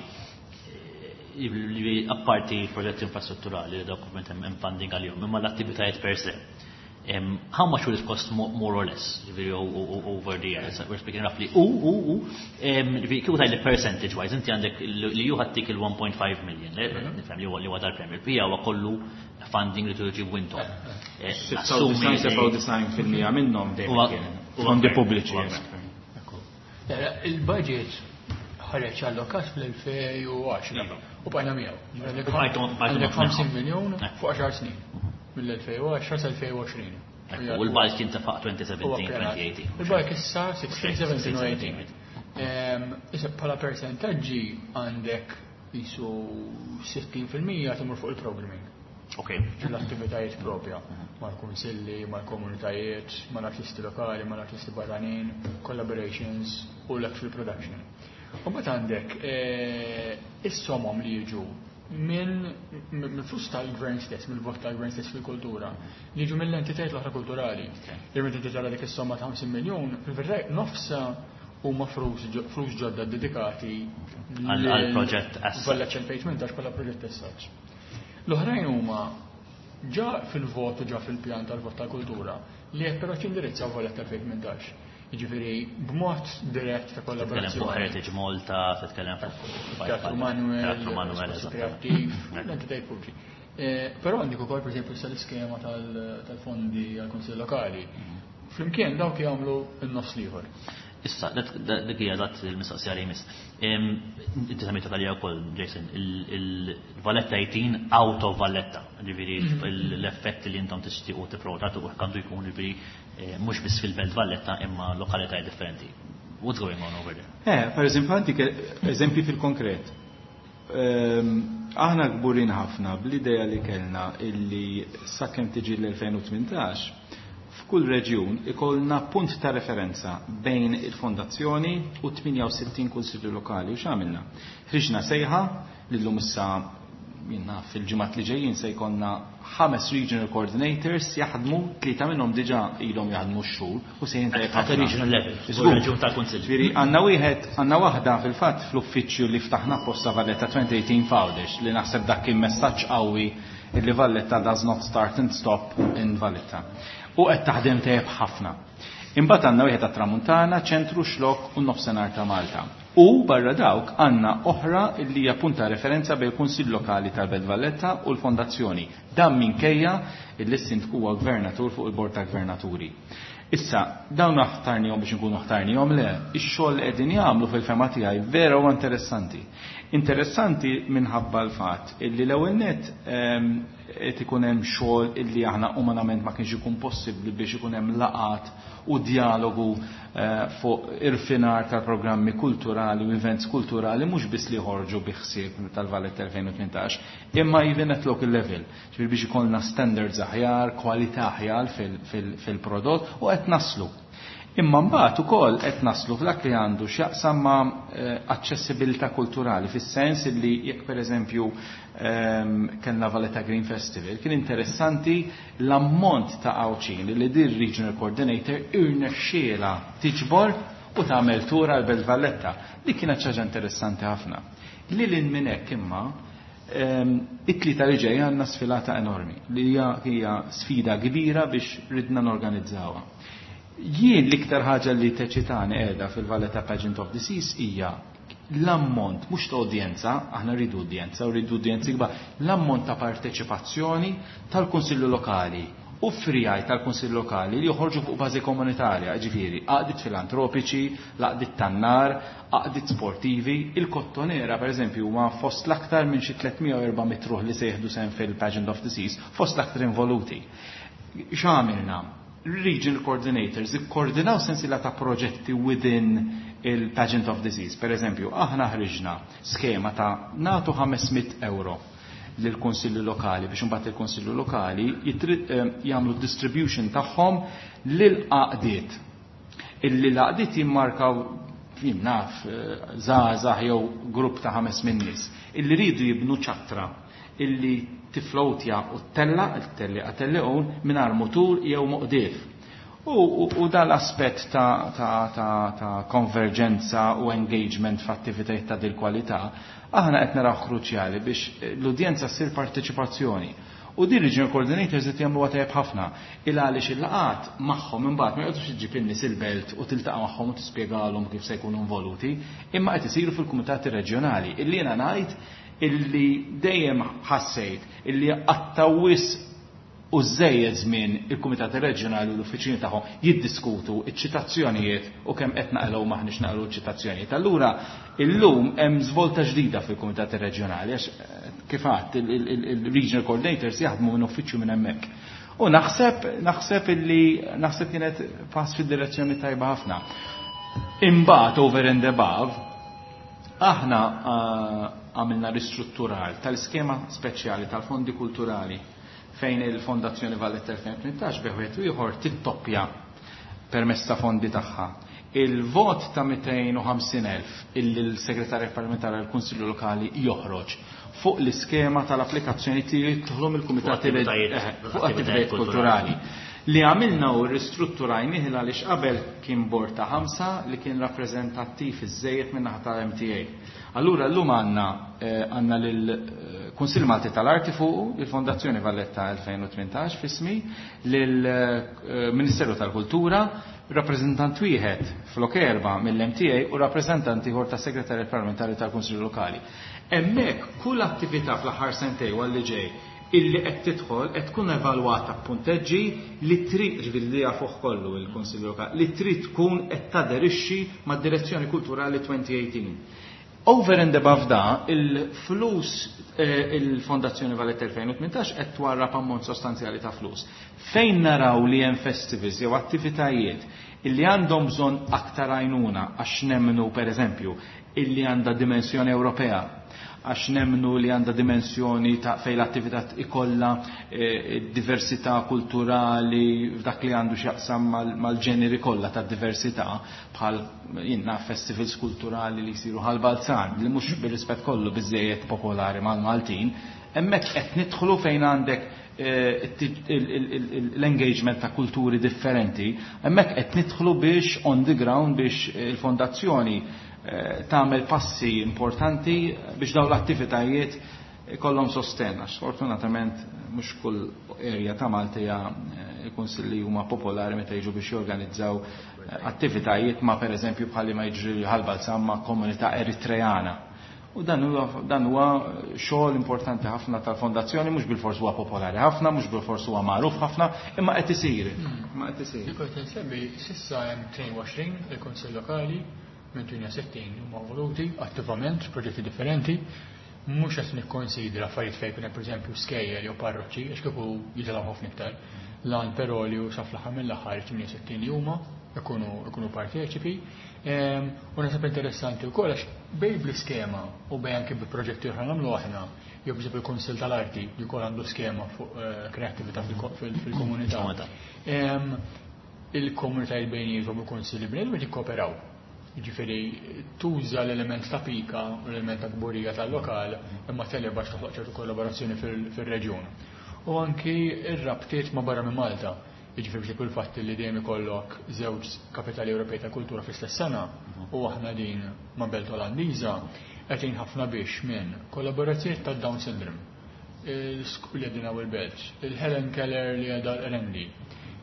li apparti proġetti infrastrutturali li dokument hemm funding għalihom, imma l-attivitajiet per se. Um, how much will it cost more or less, ġifieri, over the years? We're speaking roughly. U, u, u, ġifieri, kieku tgħidli percentage wise, inti għandek li ju ħattik il-one point five million, nifhem li huwa dal-premier, pija huwa kollu funding li tuġibu intom. sebgħa u disgħin fil-mija minnhom dejjem fondi pubbliċi. Il-budget ħareġ allokat fl-elfejn u għaxra u bqajna miegħu. Għandek ħamsin miljon fuq għaxar snin. Mill-elfejn u għaxra sa elfejn u għoxrin. U l-bulk kien ta' elfejn u sbatax-elfejn u tmintax. Il-bulk issa sittax, sbatax u tmintax. Issa bħala percentaġġi għandek jisu sittin fil-mija timur fuq il-programming. Ok. L-attivitajiet propja, mal-kunsilli, mal-komunitajiet, mal-artisti lokali, mal-artisti barranin, collaborations u l-actual production. U mbagħad għandek is-somom li jiġu minn mill-flus tal-gvern stess, mill-vot tal-gvern stess fil-kultura, li jiġu mill-entitajiet l-oħra kulturali. Li meta inti tara dik is-somma ta' ħamsin miljon, fil-verità nofsa huma flus ġodda dedikati għal proġett as Valletta elfejn u tmintax bħala proġett as such. L-oħrajn huma ġa fil-vot u ġa fil-pjan tal-vot tal-kultura li qed però jindirizzaw Valletta elfejn u tmintax. Jiġifieri b'mod dirett ta' Titkellem fuq kollaborazzjoni. Heritage Malta, titkellem fuq Teatru Manuel, Teatru Manuel, Spazju eżatt. Kreattiv, l-entitajiet pubbliċi. Eh, Però għandek ukoll, pereżempju, issa l-iskema tal-fondi għall-Kunsill Lokali. Flimkien dawk jagħmlu n-nofs l-ieħor. Issa, dik hija eżatt il-mistoqsija li jmiss. Inti semmejta għalija wkoll, Jason, il-Valletta eighteen out of Valletta, ġifieri l-effett li intom tixtiequ tipprova u għandu jkun ġifieri eh, mhux biss fil-Belt Valletta imma lokalitajiet differenti. What's going on over there? Eh, per eżempju, għandik eżempji fil-konkret. Ehm, aħna kburin ħafna bl-idea li kellna illi sakemm tiġi l-elfejn u tmintax f'kull reġjun ikollna punt ta' referenza bejn il-fondazzjoni u tmienja u sittin kunsillu lokali. U x'għamilna? Ħriġna sejħa li llum issa minna fil-ġimgħat li ġejjin se jkollna ħames regional coordinators jaħdmu, tlieta minnhom diġà ilhom jaħdmu x-xhur u se jintajb At a regional level, reġjun tal-Kunsill. Ġifieri għandna wieħed, għandna waħda fil-fatt fl-uffiċċju li ftaħna posta Valletta elfejn u tmintax f'Għawdex, li naħseb dak kien messaġġ qawwi li Valletta does not start and stop in Valletta. U qed taħdem tajjeb ħafna. Imbagħad għandna wieħed tat-Tramuntana, ċentru, Xlokk u nofsinhar ta' Malta. U barra dawk għandna oħra li hija punta referenza bejn il-Kunsill Lokali tal-Belt Valletta u l-Fondazzjoni. Dan minkejja illi s-sindku huwa gvernatur fuq il-Bord ta' Gvernaturi. Issa, dawn ħtarnihom biex nkunu ħtarnihom? Le, ix-xogħol li qegħdin jagħmlu fil-fehma tiegħi vera huwa interessanti. Interessanti minħabba l-fatt illi l-ewwel net ehm, qed ikun hemm xogħol illi aħna umanament ma kienx ikun possibbli biex ikun hemm laqat u dialogu eh, fuq irfinar tal-programmi kulturali u events kulturali, mhux biss li ħorġu bi ħsieb tal-Valletta elfejn u tmintax, imma even at local level. Ġifieri biex ikollna standards aħjar, kwalità aħjar fil-prodott, u qed naslu. Imma mbagħad ukoll qed naslu f'dak li għandu x'jaqsam ma' eh, aċċessibilità kulturali, fis-sens li jekk pereżempju ehm, kellna Valletta Green Festival, kien interessanti l-ammont ta' Għawdxin li din regional coordinator irnexxiela tiġbor u tagħmel tura l-Belt Valletta. Li kienet ħaġa interessanti ħafna. Li lil minn hekk imma ehm, it-tlieta li ġej għandna sfilata enormi li hija sfida kbira biex ridna norganizzawha. Jien l-iktar ħaġa li teċitani qiegħda fil-Valletta Pageant of the Seas hija l-ammont, mhux ta' udjenza, aħna rridu udjenza u rridu udjenzi kbar, l-ammont ta' parteċipazzjoni tal-Kunsillu Lokali u friegħi tal-Kunsill Lokali li joħorġu fuq bażi komunitarja, ġifieri, għaqdiet filantropiċi, l-għaqdiet tan-nar, għaqdiet sportivi, il-Kottonera per eżempju huma fost l-aktar minn xi tliet mija u erba' mitt ruħ li se jieħdu sehem fil-Pageant of the Seas, fost l-aktar involuti. X'għamilna? Regional coordinators ikkoordinaw sensiela ta' proġetti within il-Pageant of the Seas. Per eżempju, aħna ħriġna skema ta' natu ħames mitt euro lill-Kunsilli Lokali biex imbagħad il-Kunsilli Lokali eh, jagħmlu distribution tagħhom lil għaqdiet. Illi l-għaqdiet jimmarkaw, jien naf, eh, żgħażagħ jew grupp ta' ħames min nies illi ridu jibnu ċattra illi tiflowtja u tella, tellieqa telliqun mingħajr mutur jew moqdief. U, u, u dal-aspett ta', ta, ta, ta konverġenza u engagement f'attivitajiet ta' dil kwalità, aħna qed naraw kruċjali biex l-udjenza ssir parteċipazzjoni. U din regional coordinators qed jagħmlu tajjeb ħafna. Il għaliex il-laqat magħhom imbagħad ma jqgħodux iġġib in-nies il-belt u tiltaqa' magħhom u tispjegalhom kif se jkunu involuti, imma qed isiru fil-kumitati reġjonali. Illi jiena ngħid illi dejjem ħassejt illi qattaw wisq u żejjed żmien il-Kumitati Reġjonali u l-uffiċini tagħhom jiddiskutu iċ-ċitazzjonijiet u kemm qed naqilgħu maħniex naqilgħu ċ-ċitazzjonijiet. Allura illum hemm żvolta ġdida fil-Kumitati Reġjonali għax eh, kif għadt il-regional coordinators jaħdmu minn uffiċċju minn hemmhekk. U naħseb naħseb illi naħseb kienet pass fid-direzzjoni tajba ħafna. Imbagħad over and above aħna eh, għamilna ristrutturar tal-iskema speċjali tal-fondi kulturali fejn il-Fondazzjoni Valletta elfejn u tmintax bejn wieħed u ieħor tittoppja permezz ta' fondi tagħha. Il-vot ta' mitejn u ħamsin elf illi l-Segretarju Parlamentari għall-Kunsillu Lokali joħroġ fuq l-iskema tal-applikazzjoni li jidħlu mill-Kumitati Fuq attivitajiet- eh, fuq attivitajiet kulturali. Li għamilna u ristrutturajnih għaliex qabel kien bord ta' ħamsa li kien rappreżentattiv iżejjed minn naħa tal-M T A. Allura llum għandna eh, għandna lill-Kunsill Malti tal-Arti fuq il-Fondazzjoni Valletta elfejn u tmintax f'ismi, lill-Ministeru tal-Kultura, rappreżentant wieħed flok erba' mill-M T A u rappreżentant ieħor tas Segretarju Parlamentari tal-Kunsill Lokali. Hemmhekk kull attività fl-aħħar sentej u għalli ġej Illi qed tidħol qed tkun evalwata b'punteġġi li trid, ġifieri li jafuh kollu il-Kunsill Lokali, li trid tkun qed taderixxi mad-direzzjoni kulturali twenty eighteen. Over and above da, il-flus, eh, il-Fondazzjoni Valletta elfejn u tmintax qed twarrab ammont sostanzjali ta' flus. Fejn naraw li hemm festivals jew attivitajiet illi għandhom bżonn aktar għajnuna, għax nemmnu per eżempju illi għandha dimensjoni Ewropea, għax nemmnu li għandha dimensjoni ta' fej l-attività ikolla eh, diversità kulturali f'dak li għandu x'jaqsam mal-ġeneri kollha ta' diversità, bħal jinna festivals kulturali li jsiru Ħal Balzan, li mhux, bir-rispett kollu, biżejjed popolari mal-Maltin, hemmhekk qed nidħlu fejn għandek eh, l-engagement ta' kulturi differenti, hemmhekk qed nidħlu biex on the ground biex il-fondazzjoni eh, tagħmel passi importanti biex dawn l-attivitajiet ikollhom sosten, għax sfortunatament mhux kull area ta' Malta hija eh, il-kunsilli huma popolari meta jiġu biex jorganizzaw attivitajiet ma', per eżempju, bħalli ma jiġri Ħal Balzan, ma' komunità Eritreana. U dan huwa dan huwa xogħol importanti ħafna tal-fondazzjoni, mhux bilfors huwa popolari ħafna, mhux bilfors huwa magħruf ħafna, imma qed isir. Imma qed isir. Kif insemmi, s'issa hemm tnejn u għoxrin il-Kunsill Lokali minn tmienja u sittin huma voluti attivament f'proġetti differenti. Mhux qed nikkonsidra affarijiet fejn kien hemm, pereżempju, skejjel jew parroċċi, għax kieku jitilgħu ħafna iktar. Lan però li sa fl-aħħar mill-aħħar tmienja u sittin li huma ikunu ikunu parteċipi. U naħseb interessanti wkoll għax bej bl-iskema u bej anke bi proġetti oħra nagħmlu aħna, jew biex il-Kunsill tal-Arti li wkoll għandu skema fuq eh, kreattività fil-komunità. Il-komunitajiet bejniethom, il-kunsilli bejniethom jikkooperaw. Ġifieri tuża l-element ta' pika u l-element ta' kburija tal-lokal, imma televa toħloq ċertu kollaborazzjoni fil-reġjun. U anki ir-rabtiet ma' barra minn Malta. Jiġifieri biex kull fatt li dejjem ikollok żewġ kapitali Ewropej ta' kultura fl-istess sena u aħna din ma' Belt Olandiża qed ħafna biex minn kollaborazzjoni ta' Down Syndrome, il-li għedin il-Belt, il-Helen Keller li għedha l-Rendi,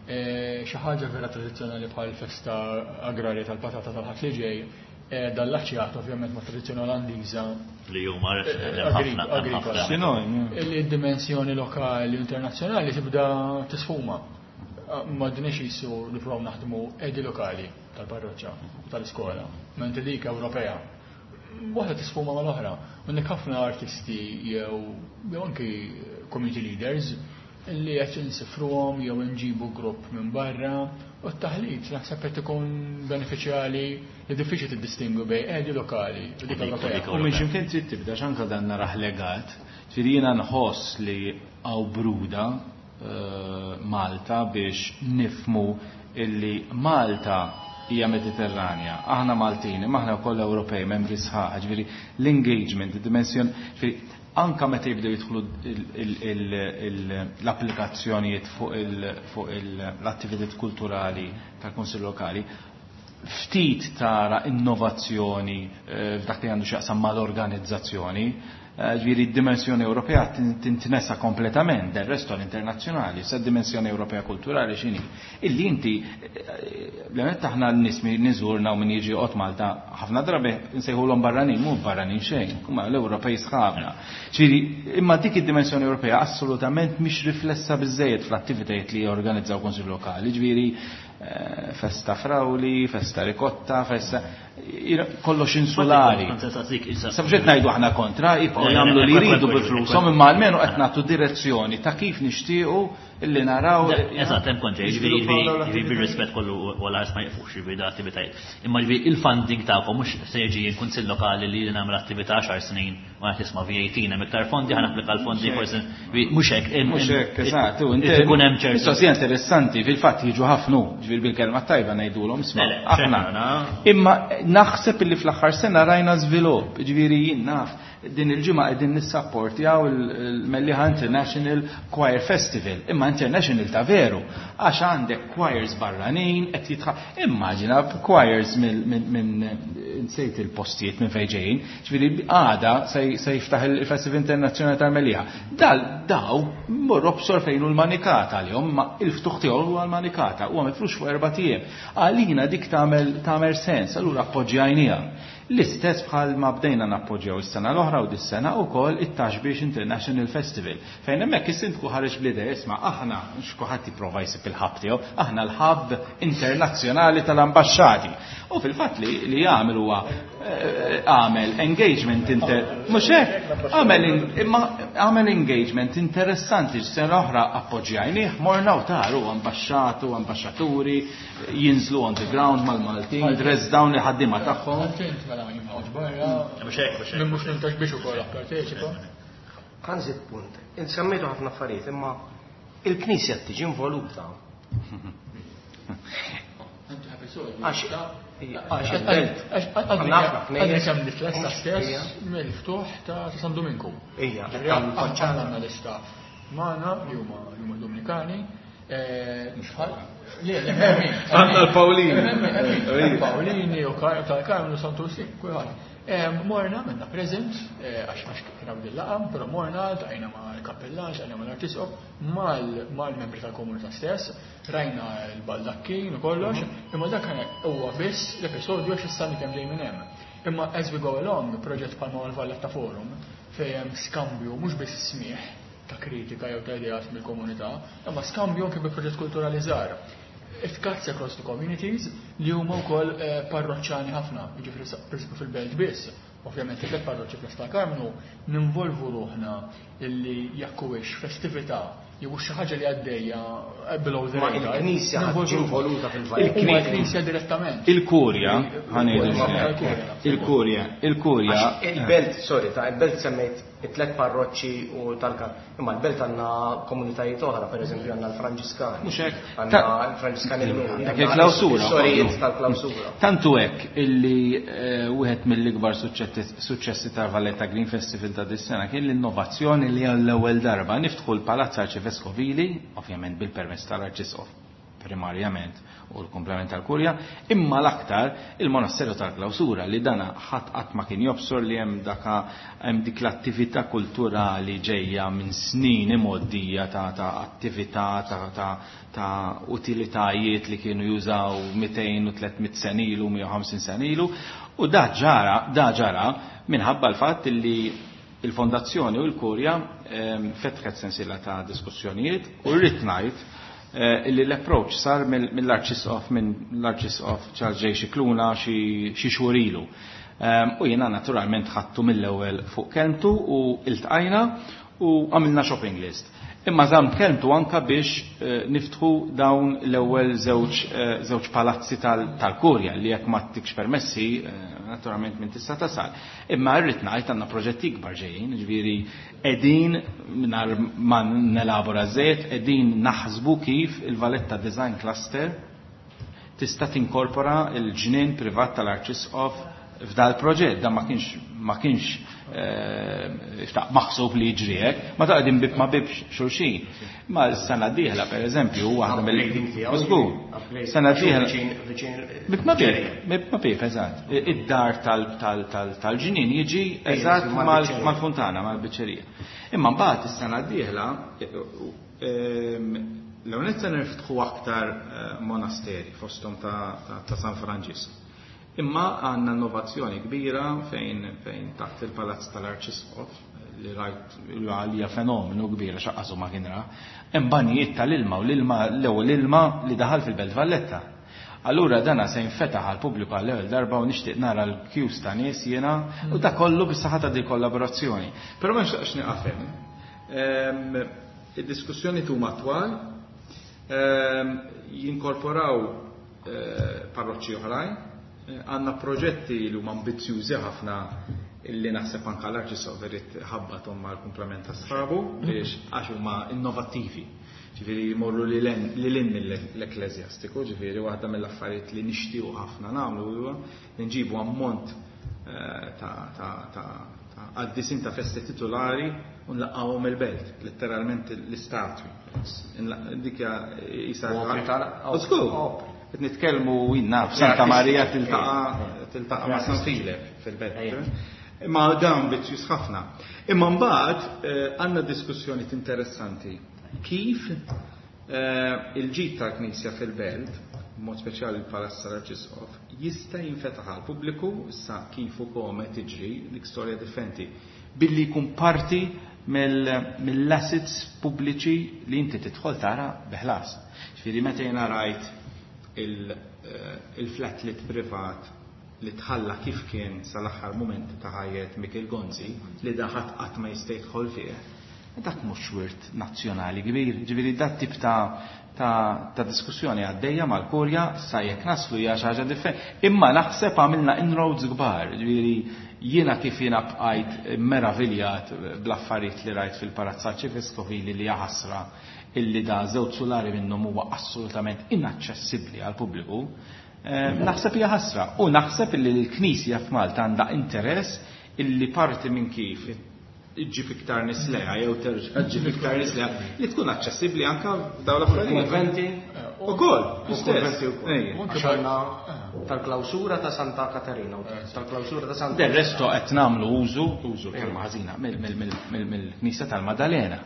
e, xi ħaġa vera tradizzjonali bħal festa agrarja tal-patata tal-Ħadd li ġej, e, dal-laċjat ovvjament ma' tradizzjoni Olandiża li huma agrikola. Il-dimensjoni lokali u internazzjonali tibda tisfuma. Ma dinix jisu nippruvaw naħdmu edi lokali tal-parroċċa tal-iskola, mentri dik Ewropea. Waħda tisfuma mal-oħra. Għandek ħafna artisti jew jew anki community leaders li qed insifruhom jew nġibu grupp minn barra u t-taħlit naħseb qed ikun benefiċjali li diffiċli tiddistingwi bejn edi lokali u dik Ewropea. U minn x'imkien trid tibda, x'anka dan narah legat, ġifieri jiena nħoss li hawn bruda eh, Malta biex nifmu illi Malta hija Mediterranja. Aħna Maltini, ma aħna wkoll Ewropej, membri sħaħ, ġifieri l-engagement, id-dimensjon, ġifieri anka meta jibdew jidħlu l-applikazzjonijiet fuq l-attivitajiet kulturali tal-Kunsill Lokali, ftit tara innovazzjoni eh, f'dak li għandu x'jaqsam mal-organizzazzjoni. Eh, ġifieri d-dimensjoni Ewropea tintinesa kompletament del resto l-internazzjonali, sa dimensjoni Ewropea kulturali x'inhi? Illi inti, eh, l aħna n-nies niżurna u min jiġi joqgħod Malta, ħafna drabi nsejħulhom barranin, mhu barranin xejn, huma l-Ewropej sħabna. Ġifieri, imma dik id-dimensjoni Ewropea assolutament mhix riflessa biżejjed fl-attivitajiet li jorganizzaw kunsill lokali, ġifieri eh, festa frawli, festa rikotta, festa kollox insulari. Sabġet ngħidu aħna kontra, jibqgħu jagħmlu li jridu bil-flushom, imma almenu qed nagħtu direzzjoni ta' kif nixtiequ illi naraw. Eżatt, hemm kontra, jiġifieri bir-rispett kollu wala ma jqfux jiġifieri da attivitajiet. Imma jiġifieri il-funding tagħkom mhux se jiġi l-kunsill lokali li nagħmel attività għaxar snin ma qed tisma' V A T hemm iktar fondi, ħa napplika l-fondi, forsi mhux hekk. Mhux hekk, eżatt. Ikun hemm ċertu. Mistoqsija interessanti, fil-fatt jiġu ħafna, ġifieri bil-kelma tajba ngħidulhom isma' aħna. Imma naħseb illi fl-aħħar sena rajna żvilupp, ġifieri jien naf din il-ġimgħa qegħdin nissapportjaw il-Mellieħa International Choir Festival, imma international ta' veru, għax għandek choirs barranin qed jitħa. Immaġina choirs minn, nsejt il-postijiet minn fejn ġejjin, ġifieri għada se jiftaħ il-Festival Internazzjonali tal-Mellieħa. Dal daw morru bsor fejn hu l-manikata għalihom, ma il-ftuħ tiegħu huwa l-manikata, huwa mifrux fuq erba' ijiem. Għalina dik tagħmel tagħmel sens, allura appoġġjajniha. L-istess bħal ma bdejna nappoġġjaw is-sena l-oħra u dis-sena wkoll it-Ta' Xbiex International Festival. Fejn hemmhekk is-sindku ħareġ bl-idea, isma' aħna x'kulħadd jipprova jsib il-hub tiegħu, aħna l-hub internazzjonali tal-ambaxxati. U fil-fatt li li jagħmel huwa għamel engagement inter mhux hekk, għamel imma għamel engagement interessanti. Sena oħra appoġġjajnih, morna u taru ambaxxatu, ambaxxaturi jinżlu on the ground mal-Maltin, dress down li ħaddiema tagħhom. Mhux hekk, mhux hekk. Mhux nintax biex ukoll apparteċipa. Ħa nżid punt. Insemmejtu ħafna affarijiet, imma il-Knisja tiġi involuta. Għax għax il-belt. Għadni kemm nitlesta stess mill-ftuħ ta' San Dominku. Ija, għandna l-istaff magħna li huma li huma Dominikani. Mhux bħal. Le, le, Għandna l-Pawlini. Pawlini u tal-Karmnu Santusi, kulħadd. Morna minna present, għax għax kien hawn dil-laqam, però morna ltqajna mal-kappellan, ltqajna mal-arċisqof, mal-membri tal-komunità stess, rajna l-baldakkin u kollox, imma dak huwa biss l-episodju għax issa kemm ġej minn hemm. Imma as we go along, proġett bħalma l-Valletta Forum, fejn hemm skambju mhux biss smieħ ta' kritika jew ta' ideat mill-komunità, imma skambju anke bi proġett kulturali żgħar. It cuts across the communities li huma wkoll parroċċani ħafna, jiġifieri pereżempju fil-belt biss. Ovvjament il parroċċi fl tal-Karmnu ninvolvu ruħna illi jekk huwiex festività jew xi ħaġa li għaddejja below the Ma radar. il-Knisja ħaġi involuta fil-Valletta. Il-Knisja direttament. Il-Kurja, ħa ngħidu il-Kurja, il-Kurja. Għax il-belt, sorry, ta' il-belt semmejt it-tlet parroċċi u tal-Kar. Imma l-belt għandna komunitajiet oħra, per eżempju għandna l-Franġiskani. Mhux hekk. Għandna l-Franġiskani l-Lum. Dak il-klawsura. Sorijiet tal-klawsura. Tantu hekk illi eh, wieħed mill-ikbar suċċessi ta' Valletta Green Festival ta' dis-sena kien l-innovazzjoni li għall-ewwel darba niftħu l-Palazz Arċiveskovili, ovvjament bil-permess tal-Arċisqof primarjament u l-komplement tal-Kurja, imma l-aktar il-Monasteru tal-Klawsura li dana ħadd qatt ma kien jobsor li hemm daka hemm dik l-attività kulturali ġejja minn snin imgħoddija ta' ta' attività ta' ta' ta' utilitajiet li kienu jużaw mitejn u tliet mitt sena ilu, mija u ħamsin sena ilu, u da ġara, da ġara minħabba l-fatt li il-Fondazzjoni u l-Kurja ehm, fetħet sensiela ta' diskussjonijiet u rrid ngħid eh, illi l-approach sar mill-Arċisqof minn l-Arċisqof Charles J. Scicluna xi xhur ilu. Ehm, u jiena naturalment ħadtu mill-ewwel fuq kelmtu u iltqajna u għamilna shopping list. Imma żamm kelmtu anka biex eh, niftħu dawn l-ewwel żewġ eh, żewġ palazzi tal-Kurja li jekk ma tikx permessi, naturalment minn tista' tasal. Imma rrid ngħid għandna proġetti ikbar ġejjin, ġifieri qegħdin mingħajr ma nelabora żejt, qegħdin naħsbu kif il-Valletta Design Cluster tista' tinkorpora l-ġnien privat tal-Arċisqof f'dal proġett. Dan ma kienx ma kienx eh, maħsub li jiġri hekk, ma ta' qegħdin bib ma bib xulxin. Ma s-sena d-dieħla pereżempju waħda mill Żgur. Sena d-dieħla bib ma bib, bib ma bib, eżatt. Id-dar tal-ġnien jiġi eżatt mal-fontana, mal-biċċerija. Imma mbagħad is-sena d-dieħla l-ewwel se niftħu aktar monasteri fosthom ta' San Franġisk. Imma għandna innovazzjoni kbira fejn fejn taħt il-Palazz tal-Arċisqof li rajt għalija fenomenu kbira xaqqasu ma kien ra, hemm banijiet tal-ilma u l-ilma l-ewwel ilma li daħal fil-Belt Valletta. Allura dana se jinfetaħ għal pubbliku għall ewwel darba u nixtieq nara l-queues ta' nies jiena u da kollu bis-saħħa ta' di kollaborazzjoni. Però ma nixtieqx nieqaf hemm. Id-diskussjoni tuma twal, jinkorporaw parroċċi oħrajn, għandna proġetti li huma ambizzjużi ħafna illi naħseb anka l-Arċisqof irid ħabbathom mal-kumplament ta' sħabu biex għax huma innovattivi. Ġifieri jmorru lil hinn mill-ekkleżjastiku, ġifieri waħda mill-affarijiet li nixtiequ ħafna nagħmlu huwa li nġibu ammont ta' ta' ta' qaddisin ta' festi titolari u nlaqqawhom il-belt, letteralment l-istatwi. Dik hija Żgur. Qed nitkellmu jinna f'Santa Marija tiltaqa' tiltaqa' ma' San Filep fil-belt. Imma dan ambizzjuż ħafna. Imma mbagħad għandna diskussjoni interessanti. Kif il-ġid tal-Knisja fil-belt, b'mod speċjali l-Palazz tal-Arċisqof, jista' jinfetaħ għal pubbliku issa kif u kome tiġri dik storja differenti billi jkun parti mill-assets pubbliċi li inti tidħol tara beħlas. Ġifieri meta jiena rajt il-flatlet privat li tħalla kif kien sal-aħħar moment ta' ħajjet Mikel Gonzi li daħat qatt ma jista' jidħol fih. Dak mhux wirt nazzjonali kbir, ġifieri dat tip ta' ta', ta diskussjoni għaddejja mal-Kurja sa jekk naslu hija xi ħaġa differenti. Imma naħseb għamilna inroads kbar, ġifieri jiena kif jiena bqajt meraviljat bl-affarijiet li rajt fil-Palazz Arċiveskovili li ħasra illi da żewġ sulari minnhom huwa assolutament inaċċessibbli għal pubbliku. Naħseb hija ħasra u naħseb illi l-Knisja f'Malta għandha interess illi parti minn kif iġġib iktar nies lejha jew terġa' ġġib iktar nies lejha li tkun aċċessibbli anke f'dawn l-affarijiet. Konventi ukoll, konventi ukoll. Għax għandna tal-klawsura ta' Santa Katerina, tal-klawsura ta' Santa. Del resto qed nagħmlu użu, użu kelma ħażina mill-Knisja tal-Maddalena.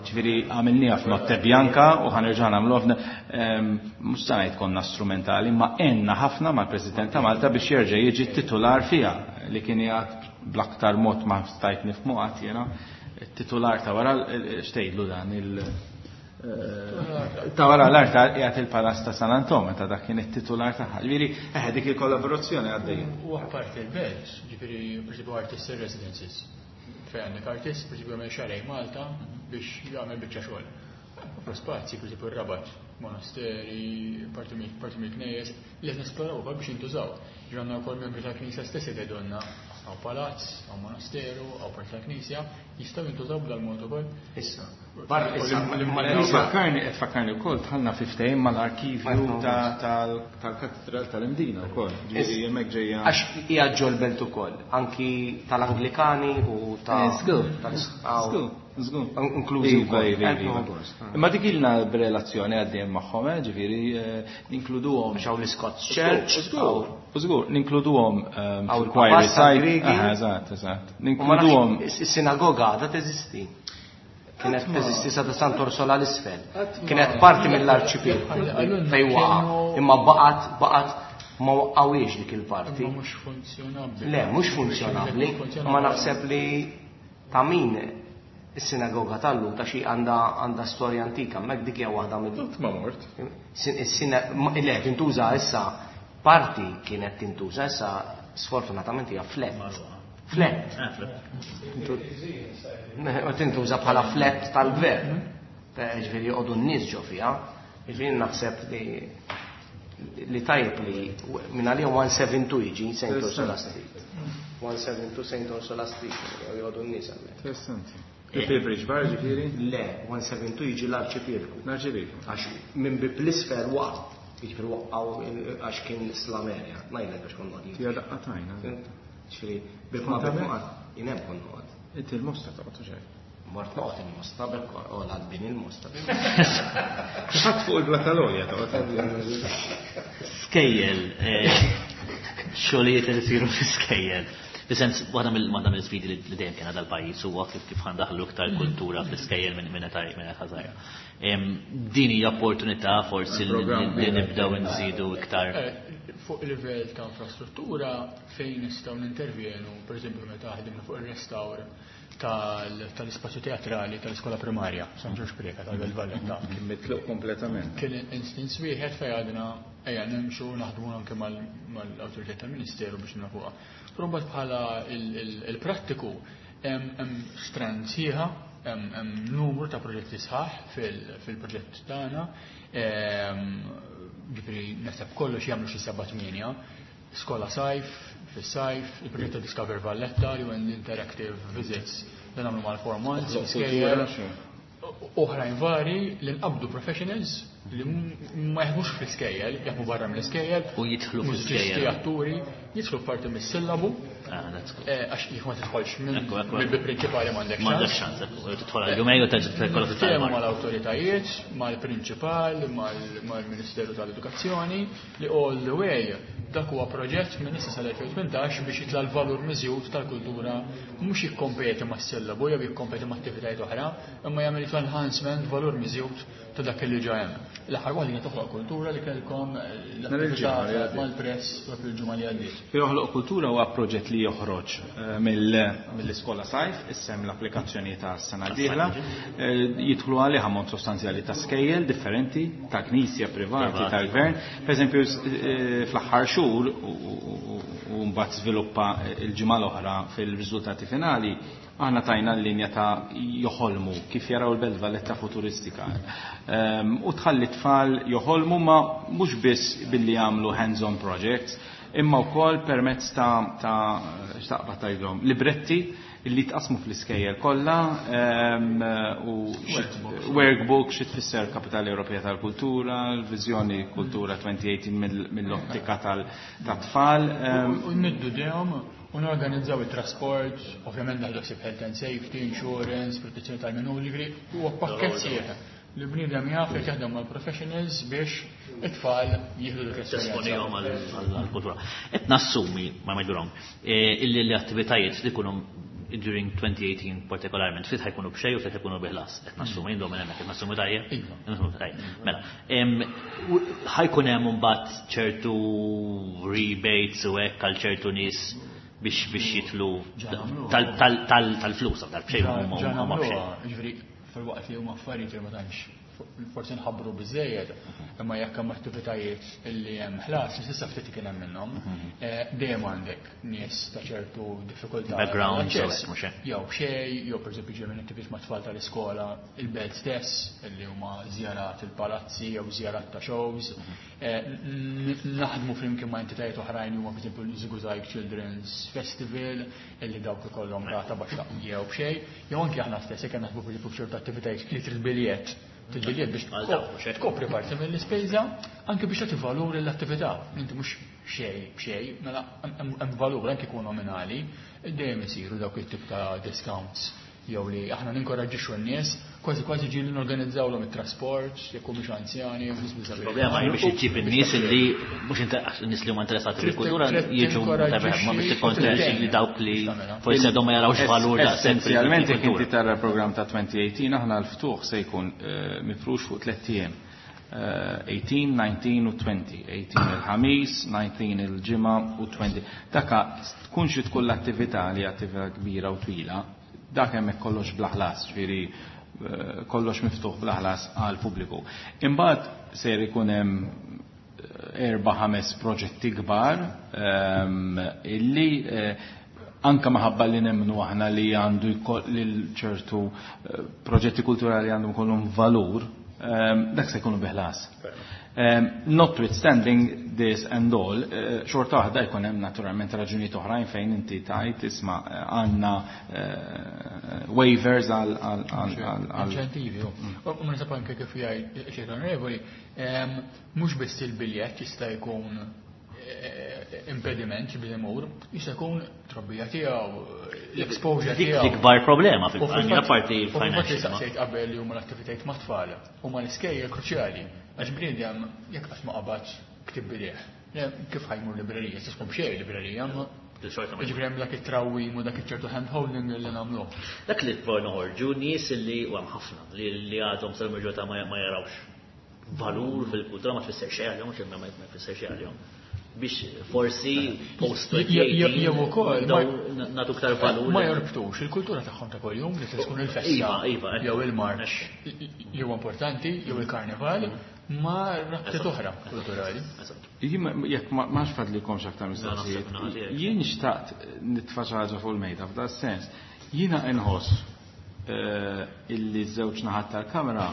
Ġifieri għamilniha f'Notte Bianca u ħanerġa' nagħmluha mhux se ngħid konna strumentali, ma għenna ħafna mal-President ta' Malta biex jerġa' jiġi titular fiha li kien jgħid bl-aktar mod ma stajt nifhmu qatt jiena titular ta' wara xtejlu dan il ta' wara l-art qiegħed il-Palazz ta' San Anton meta dak kien it-titular tagħha. Ġifieri eħe dik il-kollaborazzjoni għaddejja. U apparti l-belt, ġifieri pereżempju artists residences. Fejn għandek artist, pereżempju jagħmel xarej Malta biex jagħmel biċċa xogħol. Offru spazji, pereżempju r-Rabat, monasteri, parti mill-knejjes, li qed nesploraw ukoll biex jintużaw. Ġifieri għandna wkoll membri tal-Knisja stess jgħidulna għaw palazz, għaw monasteru, għaw parti tal-Knisja, jistgħu jintużaw b'dal-mod ukoll. Issa. Fakkarni, qed fakkarni wkoll dħalna fi ftehim mal-arkivju tal-Katedral tal-Imdina wkoll. Ġifieri hemmhekk ġejja. Għax hija ġol-belt ukoll, anki tal-Anglikani u ta' Żgur. Żgur. Inklużi wkoll. Imma dik ilna b'relazzjoni għaddejjem magħhom, ġifieri ninkluduhom. Għax hawn l-Scots Church. Żgur, żgur, ninkluduhom fil-choir side. Eżatt, eżatt. Ninkluduhom. Is-sinagoga għadha teżisti. Kienet teżisti sa ta' Sant'Orsola l-isfel. Kienet parti mill-arċipelago fejn waqa', imma baqgħet baqgħet ma waqqawiex dik il-parti. Imma mhux funzjonabbli. Le, mhux funzjonabbli, ma naħseb li ta' min is-sinagoga tal-lum ta' xi għandha għandha storja antika, hemmhekk dik hija waħda mill. Qatt ma mort. Le, tintuża issa parti kienet tintuża issa sfortunatament hija flat. Flat. Tintuża bħala flat tal-gvern. Ġifieri joqogħdu n-nies ġo fiha. Ġifieri naħseb li li tajjeb li minn għalihom one seven two jiġi Saint Ursula Street. one seven two Saint Ursula Street joqogħdu n-nies hemmhekk. Interessanti. Il-Pilbridge Bar ġifieri? Le, one seven two jiġi l-Arċipelku. L-Arċipelku. Għax minn bib l-isfel waqt, jiġifieri waqgħu għax kien Islamerja, ngħidlek għax kont noqgħod. Tija daqqa tajna. Ġifieri bib ma bib noqgħod, jien hemm kont noqgħod. Inti l-Mosta toqgħod u xejn. Mort noqgħod il-Mosta bekk u l-għadbin il-Mosta. Ħadd fuq il-Blatalonja toqgħod. Skejjel, xogħlijiet li jsiru fi skejjel. Fis-sens, waħda mill-sfidi li dejjem kien dal-pajjiż huwa kif kif ħandaħlu iktar kultura fl-iskejjel minn minn età minn età żgħira. Din hija opportunità forsi li nibdew nżidu iktar. Fuq livell ta' infrastruttura fejn nistgħu nintervjenu, pereżempju meta ħdimna fuq ir-restawr tal-ispazju teatrali tal-iskola primarja, San Ġorġ Preca tal-Belt Valletta. Kien mitluq kompletament. Kien instance wieħed fejn għadna ejja nimxu naħdmu anke mal-awtorità tal-Ministeru biex nafuha. Però mbagħad bħala il-prattiku hemm strand sħiħa, hemm numru ta' proġetti sħaħ fil-proġett tagħna. Ġifieri naħseb kollox jagħmlu xi seba' tmienja. Skola sajf, fis-sajf, il-proġett ta' Discover Valletta li huwa interactive visits li nagħmlu mal-four months, skejjel, oħrajn vari li nqabdu professionals li ma jaħdmux fl-iskejjel, jaħdmu barra mill-iskejjel u jidħlu fl-iskejjel. Atturi, jidħlu parti mis-sillabu. Għax jekk ma tidħolx mill-bib prinċipali m'għandek M'għandek ċans, tidħol għal jumejn u terġa' tidħol kollha fit mal-awtoritajiet, mal-prinċipal, mal-Ministeru tal-Edukazzjoni li all the way dak huwa proġett minn issa sal-elfejn tmintax biex jitla' l-valur miżjud tal-kultura mhux jikkompeti mas-sillabu jew jikkompeti ma' attivitajiet oħra, imma jagħmel enhancement valur miżjud ta' dak li ġa hemm. L-aħħar waħda Toħloq Kultura li kellkom l-attività mal-press propju l-ġimgħa li għaddiet. Joħloq Kultura huwa proġett li joħroġ mill-iskola sajf, issem l-applikazzjoni ta' sena d-dieħla, jidħlu għalih ammont sostanzjali ta' skejjel differenti, ta' knisja privati, tal-gvern. Per eżempju, fl-aħħar xhur u mbagħad żviluppa l-ġimgħa l-oħra fil-riżultati finali, aħna tajna l-linja ta' joħolmu kif jaraw il-Belt Valletta futuristika. U tħalli tfal joħolmu ma mhux biss billi jagħmlu hands-on projects, imma wkoll permezz ta' ta' x'taqbad tgħidhom libretti illi tqasmu fl-iskejjel kollha u workbook xi tfisser Kapitali Ewropea tal-Kultura, l-Viżjoni Kultura elfejn u tmintax mill-ottika tat-tfal. U niddu dejhom u norganizzaw il-trasport, ovvjament naħdu ħsieb health and safety, insurance, protezzjoni tal-minuri, huwa pakkett sħiħ li bniedem jaf li jaħdem mal-professionals biex it-tfal jieħdu dik l-esperjenza. Għall-kultura. Qed nassumi, ma ngħidu wrong, illi l-attivitajiet li jkunu during twenty eighteen partikolarment, ftit ħa jkunu b'xejn u ftit ħa jkunu bi ħlas. Qed nassumi indom minn hemmhekk, qed nassumi tajjeb? Iva. Tajjeb. Mela, ħa jkun hemm imbagħad ċertu rebates u hekk għal ċertu nies biex biex jitlu tal-flus, tal-bxejn huma bxejn. Ġifieri, fil-waqt li huma affarijiet li ma tantx forsi nħabbru biżejjed, imma jekk hemm attivitajiet illi hemm ħlas, s'issa ftit kien hemm minnhom, eh, dejjem għandek nies ta' ċertu diffikultà. Background, mhux hekk. Jew xejn, jew pereżempju ġej minn attivitajiet ma' tfal tal-iskola, il-belt stess, illi huma żjarat il-palazzi jew żjarat ta' shows. Eh, naħdmu flimkien ma' entitajiet oħrajn huma, pereżempju, l-ŻiguŻajg Children's Festival, illi dawk ikollhom rata baxxa jew b'xejn, jew anke aħna stess jekk naħdmu pereżempju f'ċertu attivitajiet li trid biljett il-biljett biex tkopri parti mill-ispejża, anke biex tagħti valur l-attività. Inti mhux xejn b'xejn, mela hemm valur anke jkun nominali, dejjem isiru dawk it-tip ta' discounts jew li aħna ninkoraġġixxu n-nies, kważi kważi ġieli norganizzawlhom it-trasport, jekk humiex anzjani, jew nies b'diżabilità. Il-problema hi biex iġġib in-nies li mhux in-nies li huma interessati fil-kultura jiġu, ma biex tikkonvinċi li dawk li forsi għadhom ma jarawx valur daqshekk. Essenzjalment, jekk inti tara l-programm ta' elfejn u tmintax, aħna l-ftuħ se jkun mifrux fuq tliet ijiem. tmintax, dsatax u għoxrin. tmintax il-Ħamis, dsatax il-Ġimgħa u għoxrin. Daka tkun xi tkun l-attività li attività kbira u twila, dak hemmhekk kollox bla ħlas, ġifieri kollox miftuħ bla ħlas għal pubbliku. Imbagħad ser ikun hemm erba' ħames proġetti kbar illi anka maħabba li nemmnu aħna li għandu lil ċertu proġetti kulturali għandhom kollhom valur, dak se jkunu bi ħlas. Notwithstanding this and all, xorta waħda jkun hemm naturalment raġunijiet oħrajn fejn inti tajt isma' għandna waivers għal inċentivi. U ma nisab anke kif jgħid xejn onorevoli, mhux biss il-biljett jista' jkun impediment biex imur, jista' jkun trobbija tiegħu, l-exposure tiegħu. Dik l-ikbar problema fil-parti parti financial. Saqsejt qabel li huma l-attivitajiet ma' tfal, huma l-iskejjel kruċjali. Għax bniedem jekk qatt ma qabad ktieb b'idejh. Kif ħa jmur librerija? Se tkun b'xejn librerija, ma ġifieri hemm dak it-trawwim u dak iċ-ċertu hand-holding li nagħmluh. Dak li tbor noħorġu nies li u hemm ħafna li għadhom sal-maġġorità ma jarawx valur fil-kultura, ma tfisser xejn għalihom, xejn ma tfisser xejn għalihom. Biex forsi post jew ukoll nagħtu aktar valur. Ma jorbtux il-kultura tagħhom ta' kuljum li tkun il-festa. Iva, iva. Jew il-marċ li huwa importanti, jew il-karnival, ma rabtiet oħra kulturali. Jekk ma fadlikomx aktar mistoqsijiet, jien xtaqt nitfa' xi ħaġa fuq il-mejda f'da sens. Jiena inħoss illi żewġ naħat tal-kamra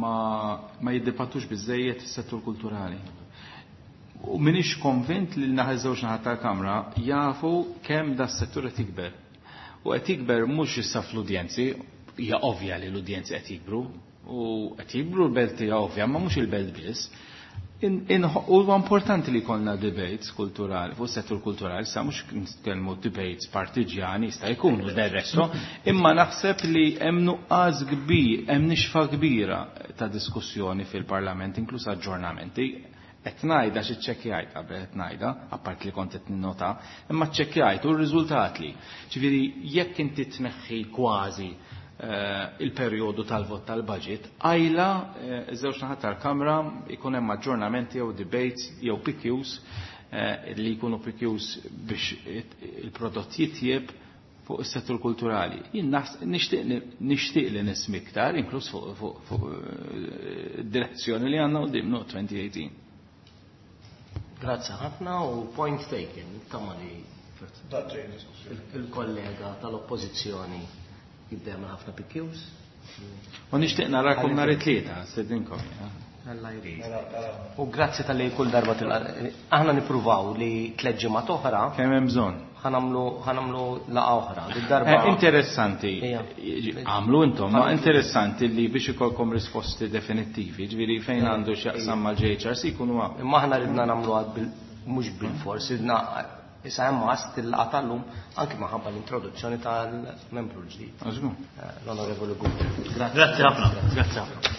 ma jiddibattux biżejjed is-settur kulturali. U minix konvint li l-naħa żewġ naħat tal-kamra jafu kemm da s-settur qed jikber. U qed jikber mhux issa fl-udjenzi, hija ovvja li l-udjenzi qed jikbru, u qed jikbru l-belt hija ovvja, ma mhux il-belt biss. Huwa importanti li jkollna debates kulturali, fuq settur kulturali, sa mhux nitkellmu debates partiġjani, jista' jkunu del resto, imma naħseb li hemm nuqqas kbir, hemm nixfa kbira ta' diskussjoni fil-Parlament, inkluż aġġornamenti. Qed ngħidha xi ċċekkjajt qabel qed ngħidha, apart li kont qed ninnota, imma ċċekkjajt u r-riżultat li. Ġifieri jekk inti tneħħi kważi il-perjodu tal-vot tal-budget, għajla iż-żewġ naħat tal-Kamra jkun hemm aġġornamenti jew debates jew P Qs li jkunu P Qs biex il-prodott jitjieb fuq is-settur kulturali. Jien nixtieq li nismi iktar, inkluż fuq id-direzzjoni li għandna quddiem no twenty eighteen. Grazzi ħafna u point taken, tama li il-kollega tal-oppożizzjoni jibdem ħafna P Qs. U nixtieq narakom nhar it-tlieta, stedinkom. Alla jrid. U grazzi tal-li kull darba til-, aħna nippruvaw li tliet ġimgħat oħra. Kemm hemm bżonn. Ħanamlu, ħanamlu laqa oħra. Did-darba Eh, interessanti. Ejja. Għamlu intom, ma interessanti li biex ikolkom risposti definittivi, ġifieri fejn għandu x'jaqsam mal-J H R C jkunu hawn. Imma aħna ridna nagħmlu għad bil-, mhux bil-fors, ridna issa hemm għast il-laqa tal-lum anke minħabba l-introduzzjoni tal-membru l-ġdid. Għażgur. L-Onorevoli Gouder. Grazzi ħafna. Grazzi ħafna.